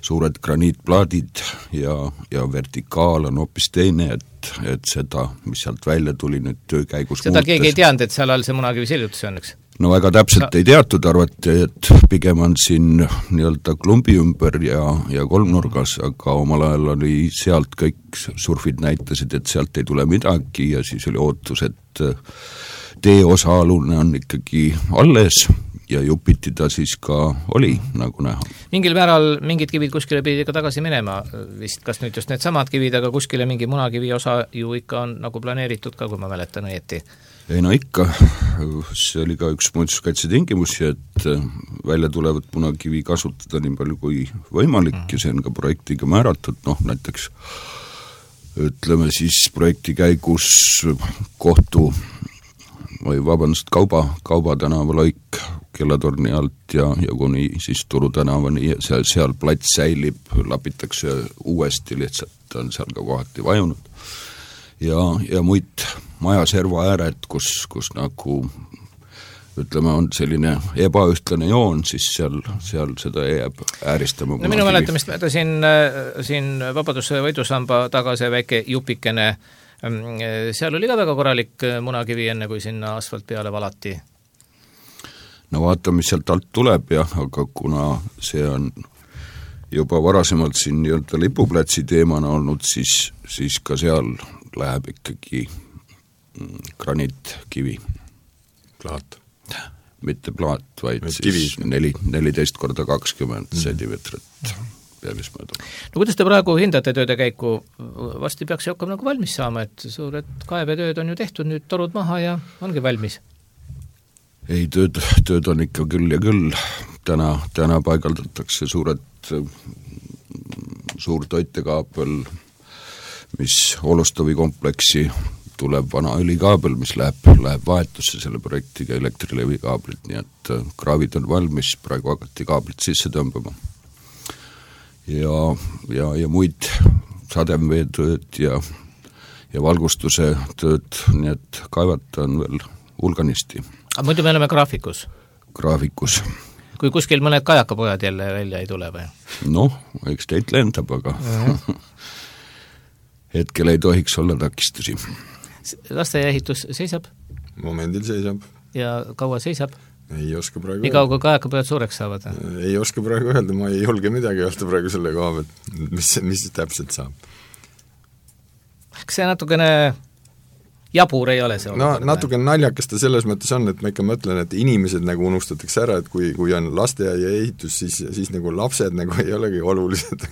suured graniitplaadid ja, ja vertikaal on hoopis teine, et, et seda, mis sealt välja tuli nüüd töö käigus seda muutes. Keegi ei teadnud, et seal all see munakivi siljutus on, eks? No väga täpselt no. ei teatud, arvati, et pigem on siin nii-öelda klumbi ümber ja, ja kolmnurgas, aga omal ajal oli sealt kõik surfid näitasid, et sealt ei tule midagi ja siis oli ootus, et tee osaalune on ikkagi alles ja jupiti ta siis ka oli, nagu näha. Mingil määral mingid kivid kuskile pidi ka tagasi minema vist, kas nüüd just need samad kivid, aga kuskile mingi munakivi osa ju ikka on nagu planeeritud ka, kui ma mäletan õieti. Ei no ikka, see oli ka üks muinsuskaitse tingimusi, et välja tulevat munakivi kasutada nii palju kui võimalik ja see on ka projektiga määratud, noh näiteks ütleme siis projekti käigus kohtu või vabandust, kauba, kauba tänava lõik Kellatorni alt ja, ja kuni siis Turu tänavani, seal, seal plats säilib, lapitakse uuesti, lihtsalt on seal ka kohati vajunud. Ja, ja muid majaserva ääred, kus, kus nagu ütleme, on selline ebaühtlane joon, siis seal, seal seda jääb ääristama. No minu mäletamist mööda siin, siin Vabaduse võidusamba taga see väike jupikene, seal oli ka väga korralik munakivi enne, kui sinna asfalt peale valati. No vaata, mis sealt alt tuleb jah, aga kuna see on juba varasemalt siin nii-öelda lipuplatsi teemana olnud, siis, siis ka seal läheb ikkagi graniitkivi. Plaat. Mitte plaat, vaid Met siis neli, neliteist korda kakskümmend mm. sentimeetrit pealismööda. No kuidas te praegu hindate tööde käiku? Vasti peaks see hakkama nagu valmis saama, et suured kaevetööd on ju tehtud, nüüd torud maha ja ongi valmis. Ei, tööd, tööd on ikka küll ja küll. Täna, täna paigaldatakse suured, suur toitekaabel, mis Olustavi kompleksi tuleb vana õlikaabel, mis läheb, läheb vahetusse selle projektiga Elektrilevi kaablit, nii et kraavid on valmis, praegu hakati kaablit sisse tõmbama. Ja, ja, ja muid sademveetööd ja, ja valgustuse tööd, nii et kaevata on veel hulganisti. Aga muidu me oleme graafikus? Graafikus. Kui kuskil mõned kajakapojad jälle välja ei tule või? Noh, eks teid lendab, aga uh-huh. hetkel ei tohiks olla takistusi. Lasteehitus seisab? Momendil seisab. Ja kaua seisab? Ei oska praegu nii kaua, kui kajakapojad suureks saavad? Ei oska praegu öelda, ma ei julge midagi öelda praegu selle koha, mis, mis täpselt saab. Kas see natukene jabur ei ole see? No natuke naljakas ta selles mõttes on, et ma ikka mõtlen, et inimesed nagu unustatakse ära, et kui, kui on lasteaia ehitus, siis, siis nagu lapsed nagu ei olegi olulised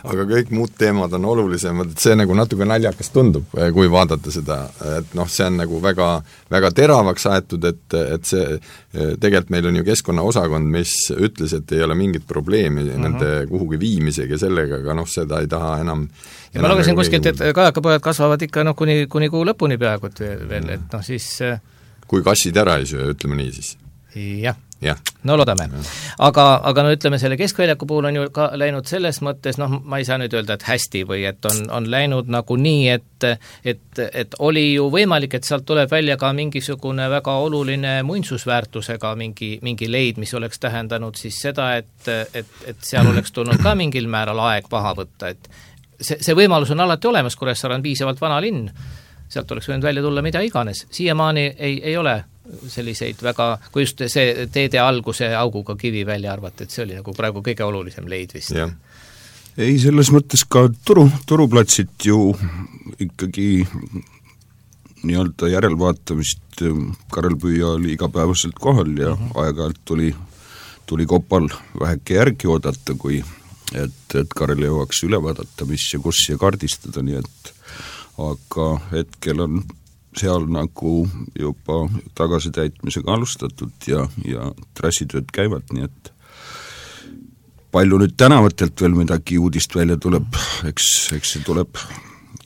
aga kõik muud teemad on olulisemad, et see nagu natuke naljakas tundub, kui vaadata seda, et noh, see on nagu väga, väga teravaks aetud, et, et see tegelikult meil on ju keskkonnaosakond, mis ütles, et ei ole mingit probleemi uh-huh. nende kuhugi viimisega ja sellega, aga noh, seda ei taha enam ja ma lugesin kuskilt, et kajakapojad kasvavad ikka noh, kuni, kuni kuu lõpuni peaaegu veel, et noh siis kui kassid ära ei söö, ütleme nii siis. Jah, ja. no loodame. Aga, aga no ütleme, selle keskväljaku puhul on ju ka läinud selles mõttes, noh, ma ei saa nüüd öelda, et hästi või et on, on läinud nagu nii, et, et, et oli ju võimalik, et sealt tuleb välja ka mingisugune väga oluline muinsusväärtusega mingi, mingi leid, mis oleks tähendanud siis seda, et, et, et seal oleks tulnud ka mingil määral aeg maha võtta, et see, see võimalus on alati olemas, Kuressaare on piisavalt vana linn, sealt oleks võinud välja tulla mida iganes. Siiamaani ei, ei ole selliseid väga, kui just see teede alguse auguga kivi välja arvata, et see oli nagu praegu kõige olulisem leid vist. jah, ei, selles mõttes ka turu, turuplatsid ju ikkagi nii-öelda järelvaatamist, Karel Püüa oli igapäevaselt kohal ja uh-huh. aeg-ajalt tuli, tuli Kopal väheke järgi oodata, kui et, et Karel jõuaks üle vaadata, mis ja kus ja kaardistada, nii et aga hetkel on seal nagu juba tagasitäitmisega alustatud ja, ja trassitööd käivad, nii et palju nüüd tänavatelt veel midagi uudist välja tuleb, eks, eks see tuleb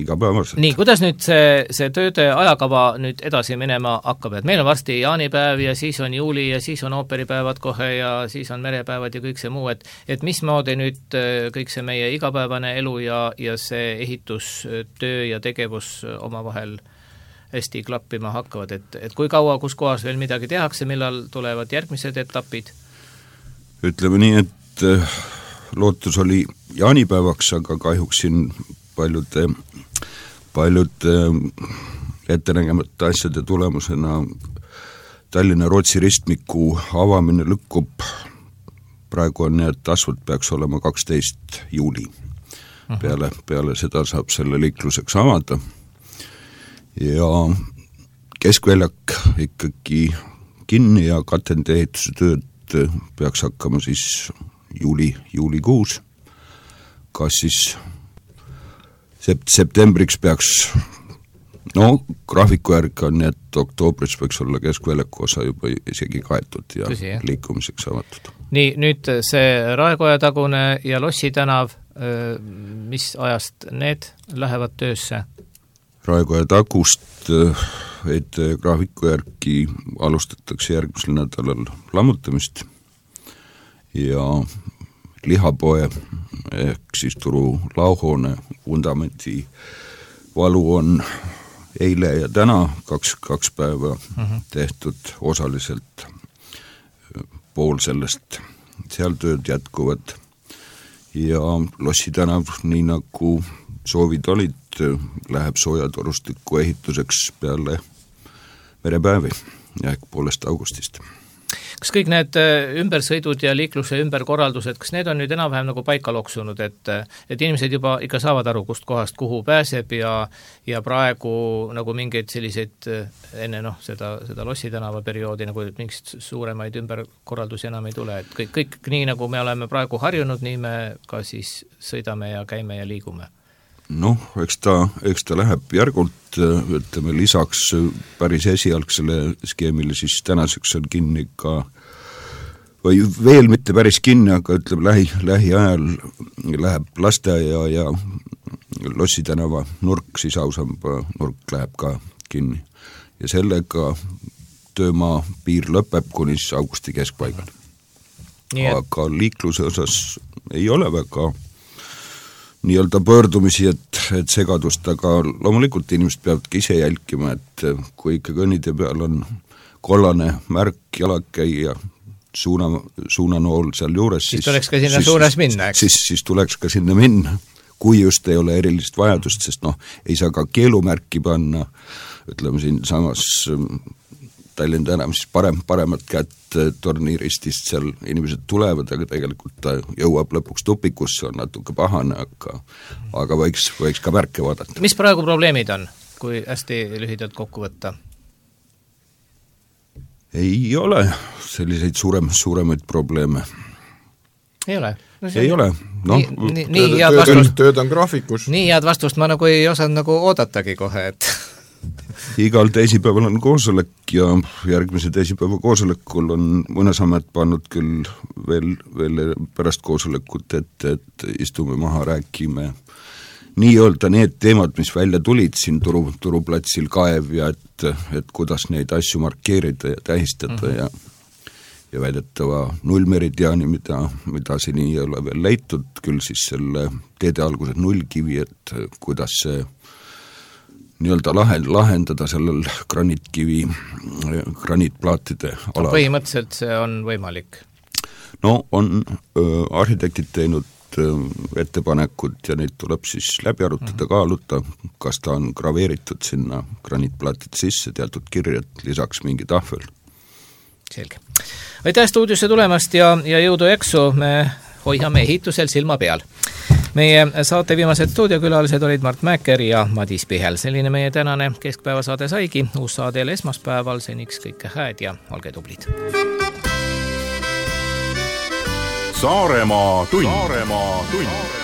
igapäevaselt. Nii, kuidas nüüd see, see tööde ajakava nüüd edasi minema hakkab, et meil on varsti jaanipäev ja siis on juuli ja siis on ooperipäevad kohe ja siis on merepäevad ja kõik see muu, et et mismoodi nüüd kõik see meie igapäevane elu ja, ja see ehitustöö ja tegevus omavahel hästi klappima hakkavad, et, et kui kaua, kus kohas veel midagi tehakse, millal tulevad järgmised etapid? Ütleme nii, et lootus oli jaanipäevaks, aga kahjuks siin paljude, paljude ettenägemata asjade tulemusena Tallinna-Rootsi ristmiku avamine lükkub, praegu on nii, et asfalt peaks olema kaksteist juuli. Peale, peale seda saab selle liikluseks avada ja keskväljak ikkagi kinni ja katende ehituse tööd peaks hakkama siis juuli, juulikuus. Kas siis sept, septembriks peaks, no graafiku järgi on nii, et oktoobris võiks olla keskväljaku osa juba isegi kaetud ja Tõsi, liikumiseks avatud. Nii, nüüd see Raekoja tagune ja Lossi tänav, mis ajast need lähevad töösse? Raekoja tagust et graafiku järgi alustatakse järgmisel nädalal lammutamist ja lihapoe ehk siis turu lauhoone vundamenti valu on eile ja täna kaks, kaks päeva uh-huh. tehtud osaliselt, pool sellest seal tööd jätkuvad ja Lossi tänav, nii nagu soovid olid, läheb soojatorustiku ehituseks peale merepäevi ehk poolest augustist. Kas kõik need ümbersõidud ja liikluse ümberkorraldused, kas need on nüüd enam-vähem nagu paika loksunud, et, et inimesed juba ikka saavad aru, kust kohast kuhu pääseb ja, ja praegu nagu mingeid selliseid enne noh, seda, seda Lossi tänava perioodi nagu mingist suuremaid ümberkorraldusi enam ei tule, et kõik, kõik nii nagu me oleme praegu harjunud, nii me ka siis sõidame ja käime ja liigume? Noh, eks ta, eks ta läheb järgult, ütleme lisaks päris esialgsele skeemile, siis tänaseks on kinni ka, või veel mitte päris kinni, aga ütleme lähi, lähiajal läheb lasteaia ja Lossi tänava nurk, siis ausamba nurk läheb ka kinni. Ja sellega töömaa piir lõpeb kuni augusti keskpaigal. Aga liikluse osas ei ole väga nii-öelda pöördumisi, et, et segadust, aga loomulikult inimesed peavadki ise jälgima, et kui ikka kõnnide peal on kollane märk, jalakäija, suuna, suunanool seal juures, siis, siis tuleks ka sinna siis, suunas minna, eks? Siis, siis tuleks ka sinna minna, kui just ei ole erilist vajadust, sest noh, ei saa ka keelumärki panna, ütleme siin samas Tallinn tänav, siis parem, paremat kätt torniiristist seal inimesed tulevad, aga tegelikult ta jõuab lõpuks tupikusse, on natuke pahane, aga, aga võiks, võiks ka märke vaadata. Mis praegu probleemid on, kui hästi lühidalt kokku võtta? Ei ole selliseid suurem, suuremaid probleeme. Ei ole? No ei ole. No, nii, nii, nii head vastust, tööd on graafikus. Nii head vastust ma nagu ei osanud nagu oodatagi kohe, et igal teisipäeval on koosolek ja järgmise teisipäeva koosolekul on Mõnesamet pannud küll veel, veel pärast koosolekut, et, et istume maha, räägime nii-öelda need teemad, mis välja tulid siin turu, turuplatsil kaev ja et, et kuidas neid asju markeerida ja tähistada mm-hmm. ja, ja väidetava nullmeridiaani, mida, mida siin ei ole veel leitud, küll siis selle teede alguses nullkivi, et kuidas see nii-öelda lahendada sellel graniitkivi, graniitplaatide alal. Põhimõtteliselt see on võimalik? No on öö, arhitektid teinud öö, ettepanekud ja neid tuleb siis läbi arutada, kaaluta, kas ta on graveeritud sinna graniitplaatide sisse, teatud kirjad, lisaks mingi tahvel. Selge. Aitäh stuudiosse tulemast ja, ja jõudu eksu, me hoiame ehitusel silma peal. meie saate viimased stuudiokülalised olid Mart Mäeker ja Madis Pihel. Selline meie tänane keskpäevasaade saigi. Uus saade esmaspäeval, seniks kõike hääd ja olge tublid. Saaremaa tund. Saaremaa tund.